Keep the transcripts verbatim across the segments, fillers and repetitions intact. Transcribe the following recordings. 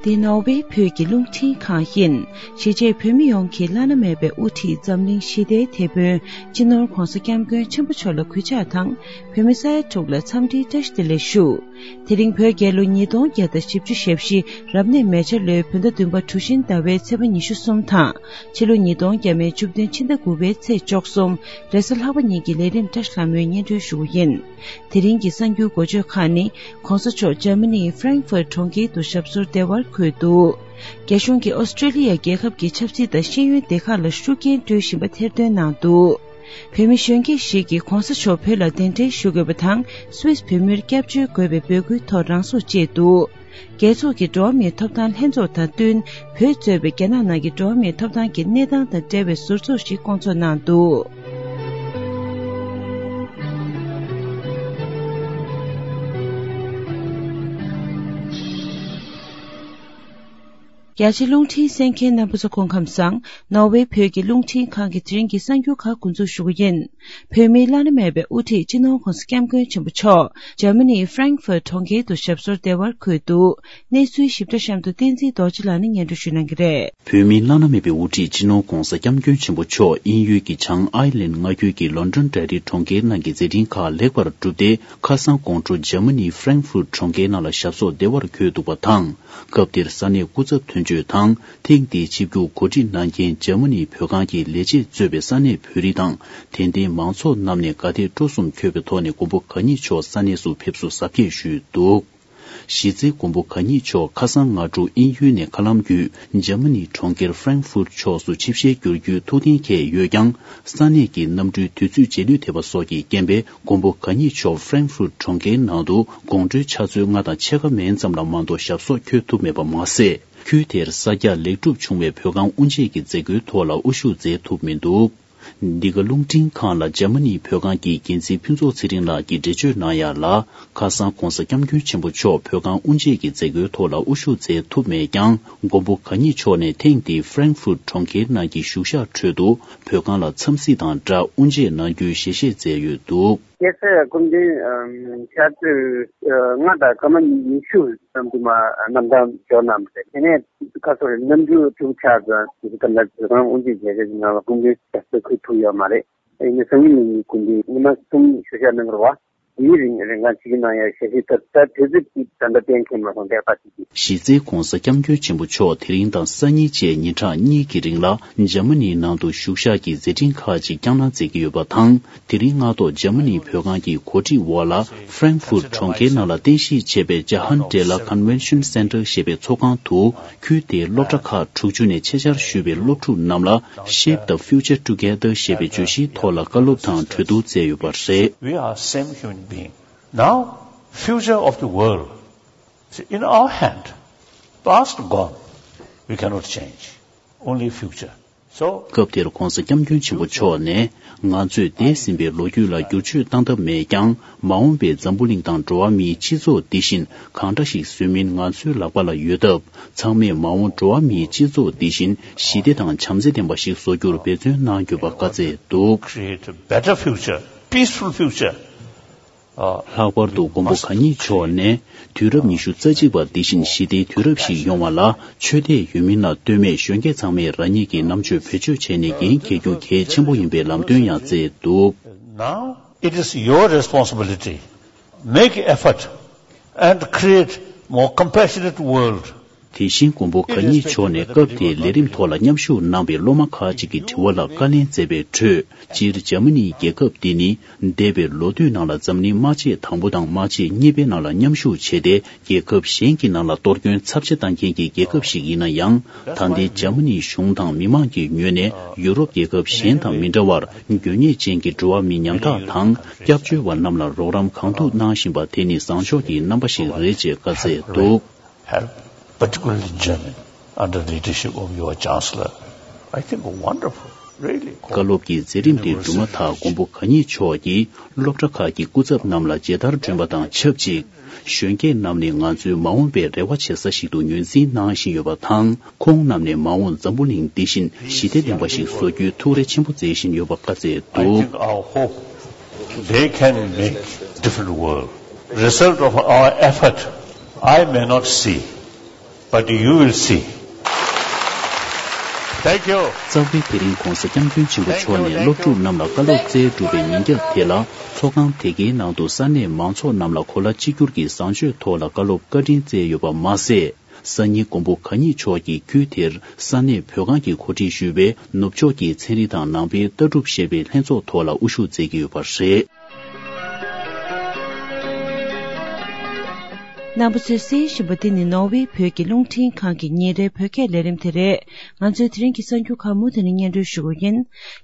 འདི་ནོར་ཝེ་བོད་ཀྱི་རླུང་འཕྲིན་ཁང་ཡིན། གཞིས་བྱེས་བོད་མི་ཡོངས་ཀྱི་བླ་ན་མེད་པའི་དབུ་ཁྲིད་འཛམ་གླིང་ཞི་བདེའི་དེད་དཔོན་སྤྱི་ནོར་༧གོང་ས་༧སྐྱབས་མགོན་ཆེན་པོ་མཆོག་ལ་གུས་ཕྱག་དང་། བོད་མི་ས་ཡ་དྲུག་ལ་འཚམས་འདྲིའི་བཀྲ་ཤིས་བདེ་ལེགས་ཞུ། དེ་རིང་བོད་རྒྱལ་ལོ་ཉིས་སྟོང་བརྒྱ་དང་བཞི་བཅུ་ཞེ་བཞི་རབ་གནས་མེ་བྱ་ལོའི་བོད་ཟླ་བདུན་པ་གྲུ་བཞིན་ཟླ་བའི་ཚེས་པ་ཉི་ཤུ་གསུམ་དང་། ཕྱི་ལོ་ཉིས་སྟོང་བརྒྱ་མེད་བཅུ་བདུན་ཕྱི་ཟླ་དགུ་པའི་ཚེས་བཅུ་གསུམ་རེས་གཟའ་ལྷག་པ་ཉིན་གྱི་ལས་རིམ་བཀྲ་ཤིས་ལྷ་མོའི་སྙན་སྒྲོན་ཞུ་བ་ཡིན། དེ་རིང་གི་གསར་འགྱུར་འགོ་བརྗོད་ཁག་ནི། ྋགོང་ས་མཆོག་འཇར་མ་ནིའི་ཧྥ་རེང་ཧྥུར་གྲོང་ཁྱེར་དུ་ཞབས་སོར་བདེ་བར་འཁོད་འདུག་རྒྱ་གཞུང་གིས་ཨོ་སི་ཀྲེ་ལི་ཡ་རྒྱལ་ཁབ་ཀྱི་ཆབ་སྲིད་དང་ཤེས་ཡོན་སྡེ་ཁག་ལ་ཤུགས་རྐྱེན་སྤྲོད་བཞིན་པ་ཐེར་འདོན་གནང་འདུག་བོད་མི་གཞོན་སྐྱེས་ཤིག་གིས་ྋགོང་ས་མཆོག་བོད་ལ་གདན་འདྲེན་ཞུ་དགོས་པ་དང་། སུད་སི་བོད་མིར་སྐྱབས་བཅོལ་དགོས་པའི་འབོད་སྐུལ་ཐོག་རང་སྲོག་བཅད་འདུག་རྒྱལ་ཚོགས་ཀྱི་འགྲོ་བ་མིའི་ཐོབ་ཐང་ལྷན་ཚོགས་དང་བསྟུན། བོད་གཙོས་པའི་རྒྱ་ནག་ནང་གི་འགྲོ་བ་མིའི་ཐོབ་ཐང་གི་གནས་སྟངས་དང་འབྲེལ་བའི་ཟུར་ཚོགས་ཤིག་བསྐོང་ཚོགས་གནང་འདུག་རྒྱ་ཆེ་རླུང་འཕྲིན་གསན་མཁན་རྣམ་པ་ཚོ་སྐུ་ཁམས་བཟང་། ནོར་ཝེ་བོད་ཀྱི་རླུང་འཕྲིན་ཁང་གི་དེ་རིང་གི་གསར་འགྱུར་ཁག་འགོ་འཛུགས་ཞུ་གི་ཡིན། བོད་མིའི་བླ་ན་མེད་པའི་དབུ་ཁྲིད་སྤྱི་ནོར་༧གོང་ས་༧སྐྱབས་མགོན་ཆེན་པོ་མཆོག་འཇར་མ་ནིའི་ཧྥ་རེང་ཧྥུར་གྲོང་ཁྱེར་དུ་ཞབས་སོར་བདེ་བར་འཁོད་འདུག་གནས་ཚུལ་ཞིབ་ཕྲ་གཤམ་དུ་བསྟན་འཛིན་རྡོ་རྗེ་ལགས་ནས་སྙན་སྒྲོན་ཞུ་གནང་གི་རེད། བོད་མིའི་བླ་ན་མེད་པའི་དབུ་ཁྲིད་སྤྱི་ནོར་༧གོང་ས་༧སྐྱབས་མགོན་ཆེན་པོ་མཆོག་དབྱིན་ཡུལ་གྱི་བྱང་ཨའི་ལན་མངའ་ཁུལ་གྱི་ལོན་ཌོན་འབྲེལ་རིམ་གྲོང་ཁྱེར་ནང་གི་མཛད་འཕྲིན་ཁག་ལེགས་པར་གྲུབ་སྟེ། ཁ་སང་དགོང་དྲོ་འཇར་མ་ནིའི་ཧྥ་རེང་ཧྥུར་གྲོང་ཁྱེར་ནང་ལ་ཞབས་སོར་བདེ་བར་འཁོད་འདུག་པ་དང་། སྐབས་དེར་ས་གནས་སྐུ་ཚབ་དོན་གཅོད་དང་། ཐེངས་འདིའི་ཆིབས་བསྒྱུར་གོ་སྒྲིག་གནང་མཁན་འཇར་མ་ནིའི་བོད་ཁང་གི་ལས་བྱེད་གཙོས་པའི་ས་གནས་བོད་རིགས་དང་། དད་ལྡན་མང་ཚོགས་རྣམས་ནས་དགའ་དད་སྤྲོ་གསུམ་འཁོལ་བའི་ཐོག་ནས་མགོན་པོ་གང་ཉིད་མཆོག་ས་གནས་སུ་ཕེབས་བསུ་གཟབ་རྒྱས་ཞུས་འདུག་གཞི་རྩའི་མགོན་པོ་གང་ཉིད་མཆོག་ཁ་སང་སྔ་དྲོ་དབྱིན་ཡུལ་ནས་མཁའ་ལམ་བརྒྱུད་འཇར་མ་ནིའི་གྲོང་ཁྱེར་ཧྥ་རེང་ཧྥུར་ཕྱོགས་སུ་ཆིབས་ཞལ་བསྒྱུར་རྒྱུའི་ཐུགས་གཏན་འཁེལ་ཡོད་ཀྱང་། ས་གནས་ཀྱི་གནམ་གྲུའི་དུས་ཚོད་རྗེས་ལུས་ཐེབས་པ་སོགས་ཀྱི་རྐྱེན་པས། མགོན་པོ་གང་ཉིད་མཆོག་ཧྥ་རེང་ཧྥུར་གྲོང་ཁྱེར་ནང་དུ་དགོང་དྲོའི་ཕྱག་ཚོད་ལྔ་དང་ཕྱེད་ཀ་མན་ཙམ་ལ་མ་གཏོགས་ཞབས་སོར་འཁོད་ཐུབ་མེད་པ་མ་ཟད། ཁུལ་དེར་གསར་རྒྱག་ལེགས་གྲུབ་བྱུང་བའི་བོད་ཁང་དབུ་འབྱེད་ཀྱི་མཛད་སྒོའི་ཐོག་ལ་དབུ་བཞུགས་མཛད་ཐུབ་མི་འདུག་འདི་ག་རླུང་འཕྲིན་ཁང་ལ་འཇར་མ་ནིའི་བོད་ཁང་གི་འགན་འཛིན་ཕུན་ཚོགས་ཚེ་རིང་ལགས་ཀྱིས་འགྲེལ་བརྗོད་གནང་ཡ་ལ། ཁ་སང་༧གོང་ས་༧སྐྱབས་མགོན་ཆེན་པོ་མཆོག་བོད་ཁང་དབུ་འབྱེད་ཀྱི་མཛད་སྒོའི་ཐོག་ལ་དབུ་བཞུགས་མཛད་ཐུབ་མེད་ཀྱང་། མགོན་པོ་གང་ཉིད་མཆོག་ནས་ཐེངས་འདིའི་ཧྥ་རེང་ཧྥུར་གྲོང་ཁྱེར་ནང་གི་བཞུགས་ཞག་ཁྲོད་དུ་བོད་ཁང་ལ་འཚམས་གཟིགས་དང་སྦྲགས་དབུ་འབྱེད་གནང་རྒྱུའི་ཞལ་བཞེས་མཛད་ཡོད་འདུག་རྒྱལ་སྲས་སྐུ་ཕྲེང་ཕྱག་ཚོད་ལྔ་དང་སྐར་མ་ཉི་ཤུ་ཙམ་དུ་མ་གནམ་ཐང་འབྱོར་གནང་བ་རེད། དེ་ནས་ཁ་སང་གནམ་གྲུ་དྲུག་ཆགས་ཙམ་དེ་ཙམ་ལ་བོད་ཁང་དབུ་འབྱེད་མཛད་སྒོའི་ནང་ལ་སྐུ་མགྲོན་ཞབས་སོར་འཁོད་ཐུབ་ཡོད་མ་རེད། ཡིན་ན་སང་ཉིན་གནངས་ཉིན་སྐུ་མགྲོན་ཉི་མ་གསུམ་བཞུགས་ཞག་གནང་གི་རེད་བ། དེའི་རིང་རིང་གང་ཅིག་གི་ནང་ཡང་ཞལ་བཞེས་ཐོབ་ས་དུས་ཚོད་ཅིག་ད་ལྟ་གཏན་འཁེལ་མ་སོང་། ལྟས་ཀ་ཅིག་གིས། གཞི་རྩའི་༧གོང་ས་༧སྐྱབས་མགོན་ཆེན་པོ་མཆོག་དེ་རིང་དང་སང་ཉིན་བཅས་ཉིན་གྲངས་གཉིས་ཀྱི་རིང་ལ་འཇར་མ་ནིའི་ནང་དུ་བཞུགས་ཞག་གི་མཛད་འཕྲིན་ཁག་ཅིག་བསྐྱངས་གནང་མཛད་ཀྱི་ཡོད་པ་དང་། དེ་རིང་སྔ་ཐོག་འཇར་མ་ནིའི་བོད་ཁང་གི་གོ་སྒྲིག་འོག་ལ་ཧྥ་རེང་ཧྥུར་གྲོང་ཁྱེར་ནང་ལ་རྟེན་གཞི་བྱས་པའི་ཇ་ཧན་ཏྲེ་ལ་Convention Center་ཞེས་པའི་ཚོགས་ཁང་དུ། ཁུལ་དེའི་སློབ་གྲྭ་ཁག་དྲུག་ཅུ་ནས་ཆེད་བཅར་ཞུས་པའི་སློབ་ཕྲུག་རྣམས་ལ་Shape the Future Together་ཞེས་པའི་བརྗོད་གཞིའི་ཐོག་ལ་བཀའ་སློབ་དང་གྲོས་བསྡུར་མཛད་ཡོད་པ་རེད། We are same human being. Now, future of the world is in our hand. Past gone, we cannot change. Only future. So, སྐབས་དེར་༧གོང་ས་༧སྐྱབས་མགོན་ཆེན་པོ་མཆོག་ནས། ང་ཚོས་འདས་ཟིན་པའི་ལོ་རྒྱུས་ལ་བསྒྱུར་བཅོས་བཏང་ཐབས་མེད་ཀྱང་། མ་འོངས་པའི་འཛམ་བུ་གླིང་དང་འགྲོ་བ་མིའི་སྤྱི་ཚོགས་འདི་བཞིན་གང་འདྲ་ཞིག་བཟོས་མིན་ང་ཚོའི་ལག་པ་ལ་ཡོད་སྟབས། ཚང་མས་མ་འོངས་འགྲོ་བ་མིའི་སྤྱི་ཚོགས་འདི་བཞིན་ཞི་བདེ་དང་བྱམས་བརྩེ་ལྡན་པ་ཞིག་བཟོ་རྒྱུར་འབད་བརྩོན་གནང་དགོས་པ་བཀའ་སྩལ་འདུག Create a better future, peaceful future. ལྷག་པར་དུ་མགོན་པོ་གང་ཉིད་མཆོག་ནས། དུས་རབས་ཉི་ཤུ་རྩ་གཅིག་པ་འདི་བཞིན་ཞི་བདེའི་དུས་རབས་ཤིག་ཡོང་བ་ལ། ཆོས་དད་ཡོད་མིན་ལ་ལྟོས་མེད་གཞོན་སྐྱེས་ཚང་མས་རང་ཉིད་ཀྱི་རྣམ་དཔྱོད་བེད་སྤྱོད་བྱས་ནས་འགན་འཁྱེར་རྒྱུ་གལ་ཆེན་པོ་ཡིན་པའི་ལམ་སྟོན་ཡང་བསྩལ་འདུག Now it is your responsibility. Make effort and create more compassionate world. དེ་བཞིན་མགོན་པོ་གང་ཉིད་མཆོག་ནས་སྐབས་དེའི་ལས་རིམ་ཐོག་ལ་མཉམ་ཞུགས་གནང་བའི་སློབ་མ་ཁག་ཅིག་གི་དྲི་བ་ལ་བཀའ་ལན་སྩལ་བའི་ཁྲོད། སྤྱིར་འཇར་མ་ནིའི་རྒྱལ་ཁབ་འདི་ནི། འདས་པའི་ལོ་དུས་ནང་ལ་འཛམ་གླིང་དམག་ཆེན་དང་པོ་དང་དམག་ཆེན་གཉིས་པའི་ནང་ལ་མཉམ་ཞུགས་བྱས་ཏེ། རྒྱལ་ཁབ་གཞན་གྱི་ནང་ལ་གཏོར་སྐྱོན་ཚབས་ཆེ་བཏང་མཁན་གྱི་རྒྱལ་ཁབ་ཞིག་ཡིན་ན་ཡང་། ད་ལྟའི་འཇར་མ་ནིའི་གཞུང་དང་མི་མང་གི་ངོས་ནས་ཡུ་རོབ་རྒྱལ་ཁབ་གཞན་དང་མི་འདྲ་བར། དགོས་ངེས་ཅན་གྱི་འགྲོ་བ་མིའི་ཉམ་ཐག་དང་། སྐྱབས་བཅོལ་བ་རྣམས་ལ་རོགས་རམ་གང་ཐུབ་གནང་བཞིན་པ་དེ་ནི་བཟང་ཕྱོགས་ཀྱི་རྣམ་པ་ཞིག་རེད་ཅེས་བཀའ་སྩལ་འདུག Help, particularly in Germany, under the leadership of your Chancellor. I think wonderful, really. བཀའ་སློབ་ཀྱི་མཛད་རིམ་དེ་གྲུབ་མ་ཐག་མགོན་པོ་གང་ཉིད་མཆོག་གིས་སློབ་གྲྭ་ཁག་གི་སྐུ་ཚབ་རྣམས་ལ་མཇལ་དར་སྒྲོན་པ་དང་ཆབས་ཅིག་གཞོན་སྐྱེས་རྣམས་ནི་ང་ཚོའི་མ་འོངས་པའི་རེ་བ་བྱེད་ས་ཞིག་ཏུ་ངོས་འཛིན་གནང་བཞིན་ཡོད་པ་དང་། ཁོང་རྣམས་ནས་མ་འོངས་འཛམ་བུ་གླིང་འདི་བཞིན་ཞི་བདེ་ལྡན་པ་ཞིག་བཟོ་རྒྱུའི་ཐུགས་རེ་ཆེན་པོ་མཛད་བཞིན་ཡོད་པ་བཀའ་སྩལ་འདུག I think our hope, they can make different world. Result of our effort, I may not see. But you will see. Thank you. རྩ་བའི་དེ་རིང་༧གོང་ས་༧སྐྱབས་མགོན་ཆེན་པོ་མཆོག་ནས་སློབ་ཕྲུག་རྣམས་ལ་བཀའ་སློབ་སྩལ་གྲུབ་པའི་ཉིན་རྒྱབ་དེ་ལ། ཚོགས་ཁང་དེ་གའི་ནང་དུ་ས་གནས་མང་ཚོགས་རྣམས་ལ་གོ་ལ་གཅིག་གྱུར་གྱི་བཟང་སྤྱོད་ཐོག་ལ་བཀའ་སློབ་བཀའ་དྲིན་སྩལ་ཡོད་པ་མ་ཟད། སང་ཉིན་མགོན་པོ་གང་ཉིད་མཆོག་གིས་ཁུལ་དེར་ས་གནས་བོད་ཁང་གི་གོ་སྒྲིག་ཞུས་པའི་ནུབ་ཕྱོགས་ཀྱི་ཚན་རིག་དང་ནང་པའི་ལྟ་གྲུབ་ཞེས་པའི་ལྷན་ཚོགས་ཐོག་ལ་དབུ་བཞུགས་མཛད་ཀྱི་ཡོད་པ་རེད། རྣམ་པ་ཚོས་གསན་བཞིན་པ་འདི་ནི་ནོར་ཝེ་བོད་ཀྱི་རླུང་འཕྲིན་ཁང་གི་ཉིན་རེའི་བོད་སྐད་ལས་རིམ་དེ་རེད། ང་ཚོའི་དེ་རིང་གི་གསར་འགྱུར་ཁག་མུ་མཐུད་ནས་སྙན་སྒྲོན་ཞུ་གི་ཡིན།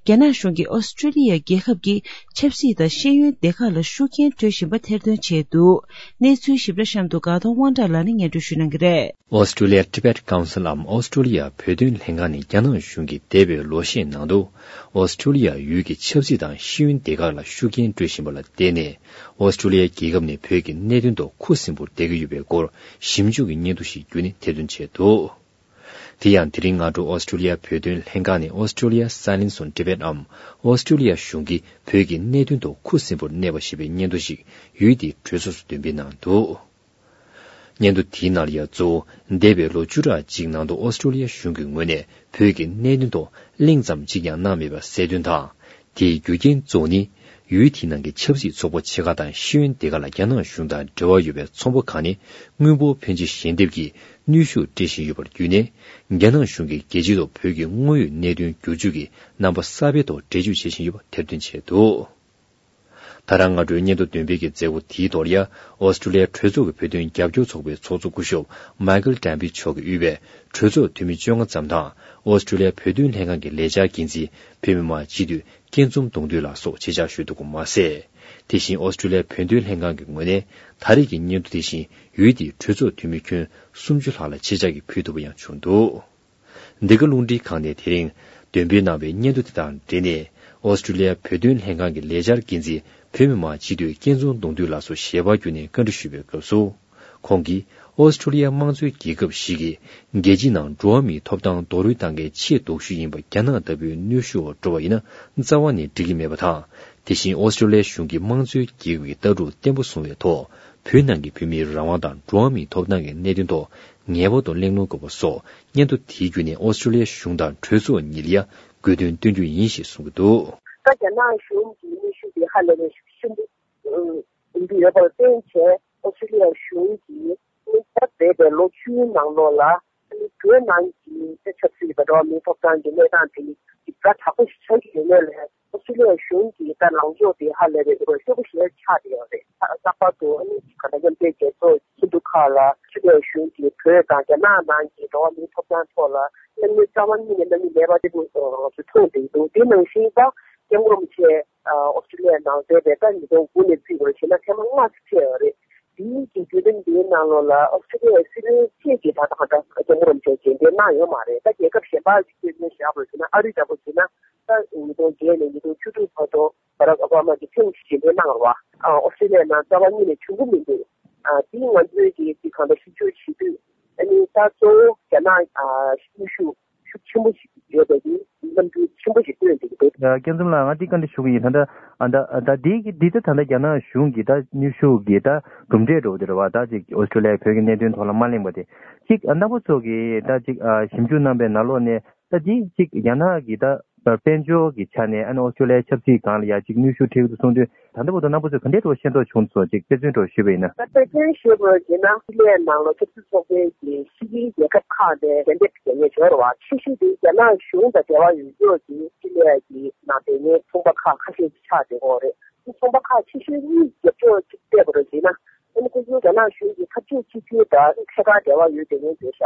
རྒྱ་ནག་གཞུང་གིས་ཨོ་སི་ཀྲི་ལི་ཡ་རྒྱལ་ཁབ་ཀྱི་ཆབ་སྲིད་དང་ཤེས་ཡོན་སྡེ་ཁག་ལ་ཤུགས་རྐྱེན་སྤྲོད་བཞིན་པ་ཐེར་འདོན་བྱས་འདུག་གནས་ཚུལ་ཞིབ་ཕྲ་གཤམ་དུ་དགའ་གདོང་དབང་གྲགས་ལགས་ནས་སྙན་སྒྲོན་ཞུ་གནང་གི་རེད། Australia Tibet Council འམ་ཨོ་སི་ཀྲི་ལི་ཡ་བོད་དོན་ལྷན་ཁང་ནི་རྒྱ་ནག་གཞུང་གིས་འདས་པའི་ལོ་ཤས་ནང་དུ་ཨོ་སི་ཀྲི་ལི་ཡ་ཡུལ་གྱི་ཆབ་སྲིད་དང་ཤེས་ཡོན་སྡེ་ཁག་ལ་ཤུགས་རྐྱེན་སྤྲོད་བཞིན་པ་ལ་བརྟེན་ནས། ཨོ་སི་ཀྲི་ལི་ཡ་རྒྱལ་ཁབ་ནི་བོད་ཀྱི་གནད་དོན་ཐོག་ཁུ་སིམ་པོར་བསྡད་ཀྱི་ཡོད་པའི་སྐོར་ཞིབ་འཇུག་གི་སྙན་ཐོ་ཞིག་བརྒྱུད་ནས་ཐེར་འདོན་བྱས་འདུག་དེ་ཡང་དེ་རིང་སྔ་དྲོ་ཨོ་སི་ཀྲི་ལི་ཡ་བོད་དོན་ལྷན་ཁང་ནས་Australia Silence on Tibet འམ་ཨོ་སི་ཀྲི་ལི་ཡ་གཞུང་གིས་བོད་ཀྱི་གནད་དོན་ཐོག་ཁུ་སིམ་པོར་གནས་པ་ཞེས་པའི་སྙན་ཐོ་ཞིག་ཡུལ་དེའི་གྲོས་ཚོགས་སུ་འདོན་སྤེལ་གནང་འདུག་སྙན་ཐོ་དེའི་ནང་ལ་ཡང་གཙོ་བོ་འདས་པའི་ལོ་བཅུ་ཕྲག་གཅིག་ནང་དུ་ཨོ་སི་ཀྲི་ལི་ཡ་གཞུང་གི་ངོས་ནས་བོད་ཀྱི་གནད་དོན་ཐོག་གླེང་ཙམ་གཅིག་ཀྱང་གནང་མེད་པ་གསལ་སྟོན་དང་། དེའི་རྒྱུ་རྐྱེན་གཙོ་བོ་ནི། ཡུལ་དེའི་ནང་གི་ཆབ་སྲིད་ཚོགས་པ་ཆེ་ཁག་དང་ཤེས་ཡོན་སྡེ་ཁག་ལ་རྒྱ་ནག་གཞུང་དང་འབྲེལ་བ་ཡོད་པའི་ཚོང་པ་ཁག་ནས་དངུལ་འབོར་ཕོན་ཆེ་ཞལ་འདེབས་ཀྱིས་གནོན་ཤུགས་སྤྲད་བཞིན་ཡོད་པར་བརྒྱུད་ནས། རྒྱ་ནག་གཞུང་གིས་རྒྱལ་སྤྱིའི་ཐོག་བོད་ཀྱི་དངོས་ཡོད་གནད་དོན་བསྒྱུར་བཅོས་ཀྱི་རྣམ་པ་གསར་པའི་ཐོག་འགྲེལ་བརྗོད་བྱེད་བཞིན་ཡོད་པ་ཐེར་འདོན་བྱས་འདུག་ད་རང་སྔ་དྲོའི་སྙན་ཐོ་འདོན་སྤེལ་གྱི་མཛད་སྒོ་དེའི་ཐོག་ལ་ཡ། ཨོ་སི་ཀྲི་ལི་ཡའི་གྲོས་ཚོགས་ཀྱི་བོད་དོན་རྒྱབ་སྐྱོར་ཚོགས་པའི་ཚོགས་གཙོ་སྐུ་ཞབས་མཱི་ཀལ་ཏྲམ་པི་མཆོག་གིས་དབུས་པའི་གྲོས་ཚོགས་འཐུས་མི་བཅོ་ལྔ་ཙམ་དང་། ཨོ་སི་ཀྲི་ལི་ཡའི་བོད་དོན་ལྷན་ཁང་གི་ལས་འཆར་འགན་འཛིན་བོད་མི་མང་སྤྱི་འཐུས་སྐྱིད་འཛོམས་གདུང་འདུས་ལགས་སོགས་ཆེད་བཅར་ཞུས་འདུག་པ་མ་ཟད། དེ་བཞིན་ཨོ་སི་ཀྲི་ལི་ཡའི་བོད་དོན་ལྷན་ཁང་གི་ངོས་ནས་ད་རེས་ཀྱི་སྙན་ཐོ་དེ་བཞིན་ཡུལ་དེའི་གྲོས་ཚོགས་འཐུས་མི་ཁྱོན་སུམ་ཅུ་ལྷག་ལ་ཆེད་བཅར་གྱིས་ཕུལ་ཐུབ་པ་ཡང་བྱུང་འདུག་འདི་ག་རླུང་འཕྲིན་ཁང་ནས་དེ་རིང་འདོན་སྤེལ་གནང་བའི་སྙན་ཐོ་དེ་དང་འབྲེལ་ནས། ཨོ་སི་ཀྲི་ལི་ཡ་བོད་དོན་ལྷན་ཁང་གི་ལས་འཆར་འགན་འཛིན་བོད་མི་མང་སྤྱི་འཐུས་སྐྱིད་འཛོམས་གདུང་འདུས་ལགས་སུ་ཞལ་པར་བརྒྱུད་ནས་བཀའ་འདྲི་ཞུས་པའི་སྐབས་སུ། ཁོང་གིས་ཨོ་སི་ཀྲི་ལི་ཡ་དམངས་གཙོའི་རྒྱལ་ཁབ་ཞིག་གིས་རྒྱལ་སྤྱིའི་ནང་འགྲོ་བ་མིའི་ཐོབ་ཐང་རྡོག་རོལ་བཏང་མཁན་ཆེས་སྡུག་ཤོས་ཡིན་པ་རྒྱ་ནག་ལྟ་བུའི་གནོན་ཤུགས་འོག་འགྲོ་བ་ཡིན་ན་རྩ་བ་ནས་འགྲིག་གི་མེད་པ་དང་། དེ་བཞིན་ཨོ་སི་ཀྲི་ལི་ཡ་གཞུང་གིས་དམངས་གཙོའི་རྒྱལ་ཁབ་ཀྱི་ལྟ་གྲུབ་བརྟན་པོ་བཟུང་བའི་ཐོག་བོད་ནང་གི་བོད་མིའི་རང་དབང་དང་འགྲོ་བ་མིའི་ཐོབ་ཐང་གི་གནད་དོན་ཐོག་ངེས་པར་དུ་གླེང་སློང་དགོས་པ་སོགས་སྙན་ཐོ་དེའི་བརྒྱུད་ནས་ཨོ་སི་ཀྲི་ལི་ཡ་གཞུང་དང་གྲོས་ཚོགས་གཉིས་ལ་ཡང་དགོས་འདུན་བཏོན་རྒྱུ་ཡིན་ཞེས་གསུངས་ཀྱི་འདུག་ད་རྒྱ་ནག་གཞུང་གི་གནོན་ཤུགས་དེ་ཧ་ལས་པའི་ཤུགས་ཆེན་པོ་ཡིན་གྱི་ཡོད་པར་བརྟེན་བྱས་ཨོ་སི་ཀྲི་ལི་ཡ་གཞུང་གིས་ད་འདས་པའི་ལོ་བཅུའི་ནང་ལོགས་ལ་བོད་ནང་གི་ཆབ་སྲིད་དང་འགྲོ་བ་མིའི་ཐོབ་ཐང་གི་གནས་སྟངས་དེ་ཞིབ་ཕྲ་དྲག་པོ་ཞིག་ཆགས་ཀྱི་ཡོད་མེད་ལ། ཨོ་སི་ཀྲི་ལི་ཡ་གཞུང་གི་ད་ལངས་ཕྱོགས་དེ་ཧ་ལས་པའི་ཤུགས་པོ་ཞིག་ཆགས་བསྡད་ཡོད་རེད། ལྷག་པར་དུ་ཨ་ནི་ག་ད་མཉམ་འབྲེལ་རྒྱལ་ཚོགས་ཁྱིམ་སྡེ་ཁག་ལ་ཨོ་སི་ཀྲི་ལི་ཡ་གཞུང་གིས་བོད་དང་རྒྱ་ནག་ནང་གི་འགྲོ་བ་མིའི་ཐོབ་ཐང་ཐོག་ལ་གནང་མུས་རྩ་བ་ཉིད་ནས་གནང་མུས་མེད་པ་དེ་ཚོ་མཐོང་བསྡད་འདུག་དེ་ནང་བཞིན་ད་སྐྱབས་མགོན་རིན་པོ་ཆེ་ཨོ་སི་ཀྲི་ལི་ཡ་ནང་མཛད་པའི་ད་ཉིས་སྟོང་དགུ་ནས་བརྩིས་པ་ཞིག་ན་ཐེངས་མ་ལྔ་ཙམ་ཕེབས་ཡོད་རེད། དེའི་གི་བརྒྱུད་རིམ་འདིའི་ནང་ལོགས་ལ་ཨོ་སི་ཀྲི་ལི་ཡའི་སྲིད་བློན་བཅས་ཀྱིས་ད་ལྟ་གང་ལྟར་སྐྱབས་མགོན་རིན་པོ་ཆེ་རྗེས་འདེད་གནང་ཡོད་མ་རེད། ད་རྒྱལ་ཁབ་གཞན་པ་ཞིག་བལྟས་ན་བཞག་པ་ཡིན་ན་ཨ་རི་འདྲ་པོ་ཡིན་ན་ད་ཉིས་སྟོང་བརྒྱད་ནས་ཉིས་སྟོང་བཅུ་དྲུག་བར་དུ་བྷ་རག་ཨོ་བྷ་མ་གིས་ཐེངས་གཅིག་རྗེས་འདེད་གནང་བ། ཨོ་སི་ཀྲི་ལི་ཡའི་ནང་རྩ་བ་ཉིད་ནས་བྱུང་གི་མི་འདུག་ཨ་དེ་ང་ཚོས་ཀྱིས་དེ་གང་ལྟར་ཞིབ་འཇུག་བྱེད་དུས་ཨ་ནི་ད་གཙོ་བོ་རྒྱ་ནག་ཨ་གནོན་ཤུགས་ཤུགས་ཆེན་པོ་ཞིག་ཡོད་པའི་གི་རྣམ་འགྱུར་ཆེན་པོ་ཞིག་སྟོན་བསྡད་ཀྱི་འདུག་ཨ་སྐྱབས་མགོན་ལགས། ང་འདི་བཀའ་འདྲི་ཞུ་གི་ཡིན། ད་ལྟ་ཨ་ད་ཨ་ད་འདི་གི་འདི་ད་ད་ལྟ་རྒྱ་ནག་གཞུང་གི་ད་གནོན་ཤུགས་ཀྱི་ད་གྲུབ་འབྲས་འདྲ་བོ་དེ་རེད་བ། ད་ཅིག་ཨོ་སི་ཀྲི་ལི་ཡས་བོད་ཀྱི་གནད་དོན་ཐོག་ལ་མ་གླེང་བ་དེ་ཅིག་ཨ་རྣམ་པ་ཚོ་གིས་ད་ཅིག་ཨ་ཞིབ་འཇུག་གནང་པའི་ནང་ལོགས་ནས་ད་འདི་ཅིག་རྒྱ་ནག་གི་ད་དཔལ་འབྱོར་གྱི་ཆ་ནས་ཨ་ནི་ཨོ་སི་ཀྲི་ལི་ཡའི་ཆབ་སྲིད་སྒང་ལ་ཡ་ཅིག་གནོན་ཤུགས་ཐེབས་ཀྱི་འདུག་གསུངས་དུས། ད་ལྟ་བར་དུ་རྣམ་པ་ཚོས་ག་འདྲའི་འདྲ་བོ་ཤེས་རྟོགས་བྱུང་སོང་ཅིག་དཔེ་མཚོན་འདྲ་བོ་ཞུས་པ་ཡིན་ན། ད་དཔེ་མཚོན་ཞུས་པར་བྱས་ན་ཨོ་སི་ཀྲི་ལི་ཡའི་ནང་ལ་ཆབ་སྲིད་ཚོགས་པའི་གི་ཕྱི་རྒྱལ་རྒྱལ་ཁབ་ཁག་ནས་ཞལ་འདེབས་རྒྱག་མཁན་ཡོད་རེད་བ། ཆེ་ཤོས་དེ་རྒྱ་ནག་གཞུང་དང་འབྲེལ་བ་ཡོད་ཀྱོག་གི་ཨོ་སི་ཀྲི་ལི་ཡ་གི་ནང་བསྡད་མཁན་ཚོང་པ་ཁག་ཁ་ཤས་ཤིག་ཆགས་བསྡད་ཡོད་རེད། ཚོང་པ་ཁག་ཆེ་ཤོས་གཉིས་རྒྱབ་ཕྱོགས་གཅིག་བལྟས་པར་བྱས་ན། ཨ་ནི་ཁོ་ཚོ་རྒྱ་ནག་གཞུང་གི་འཐབ་ཕྱོགས་གཅིག་གྱུར་དང་ཐད་ཀར་འབྲེལ་བ་ཡོད་བསྡད་མཁན་རེད་ཤག་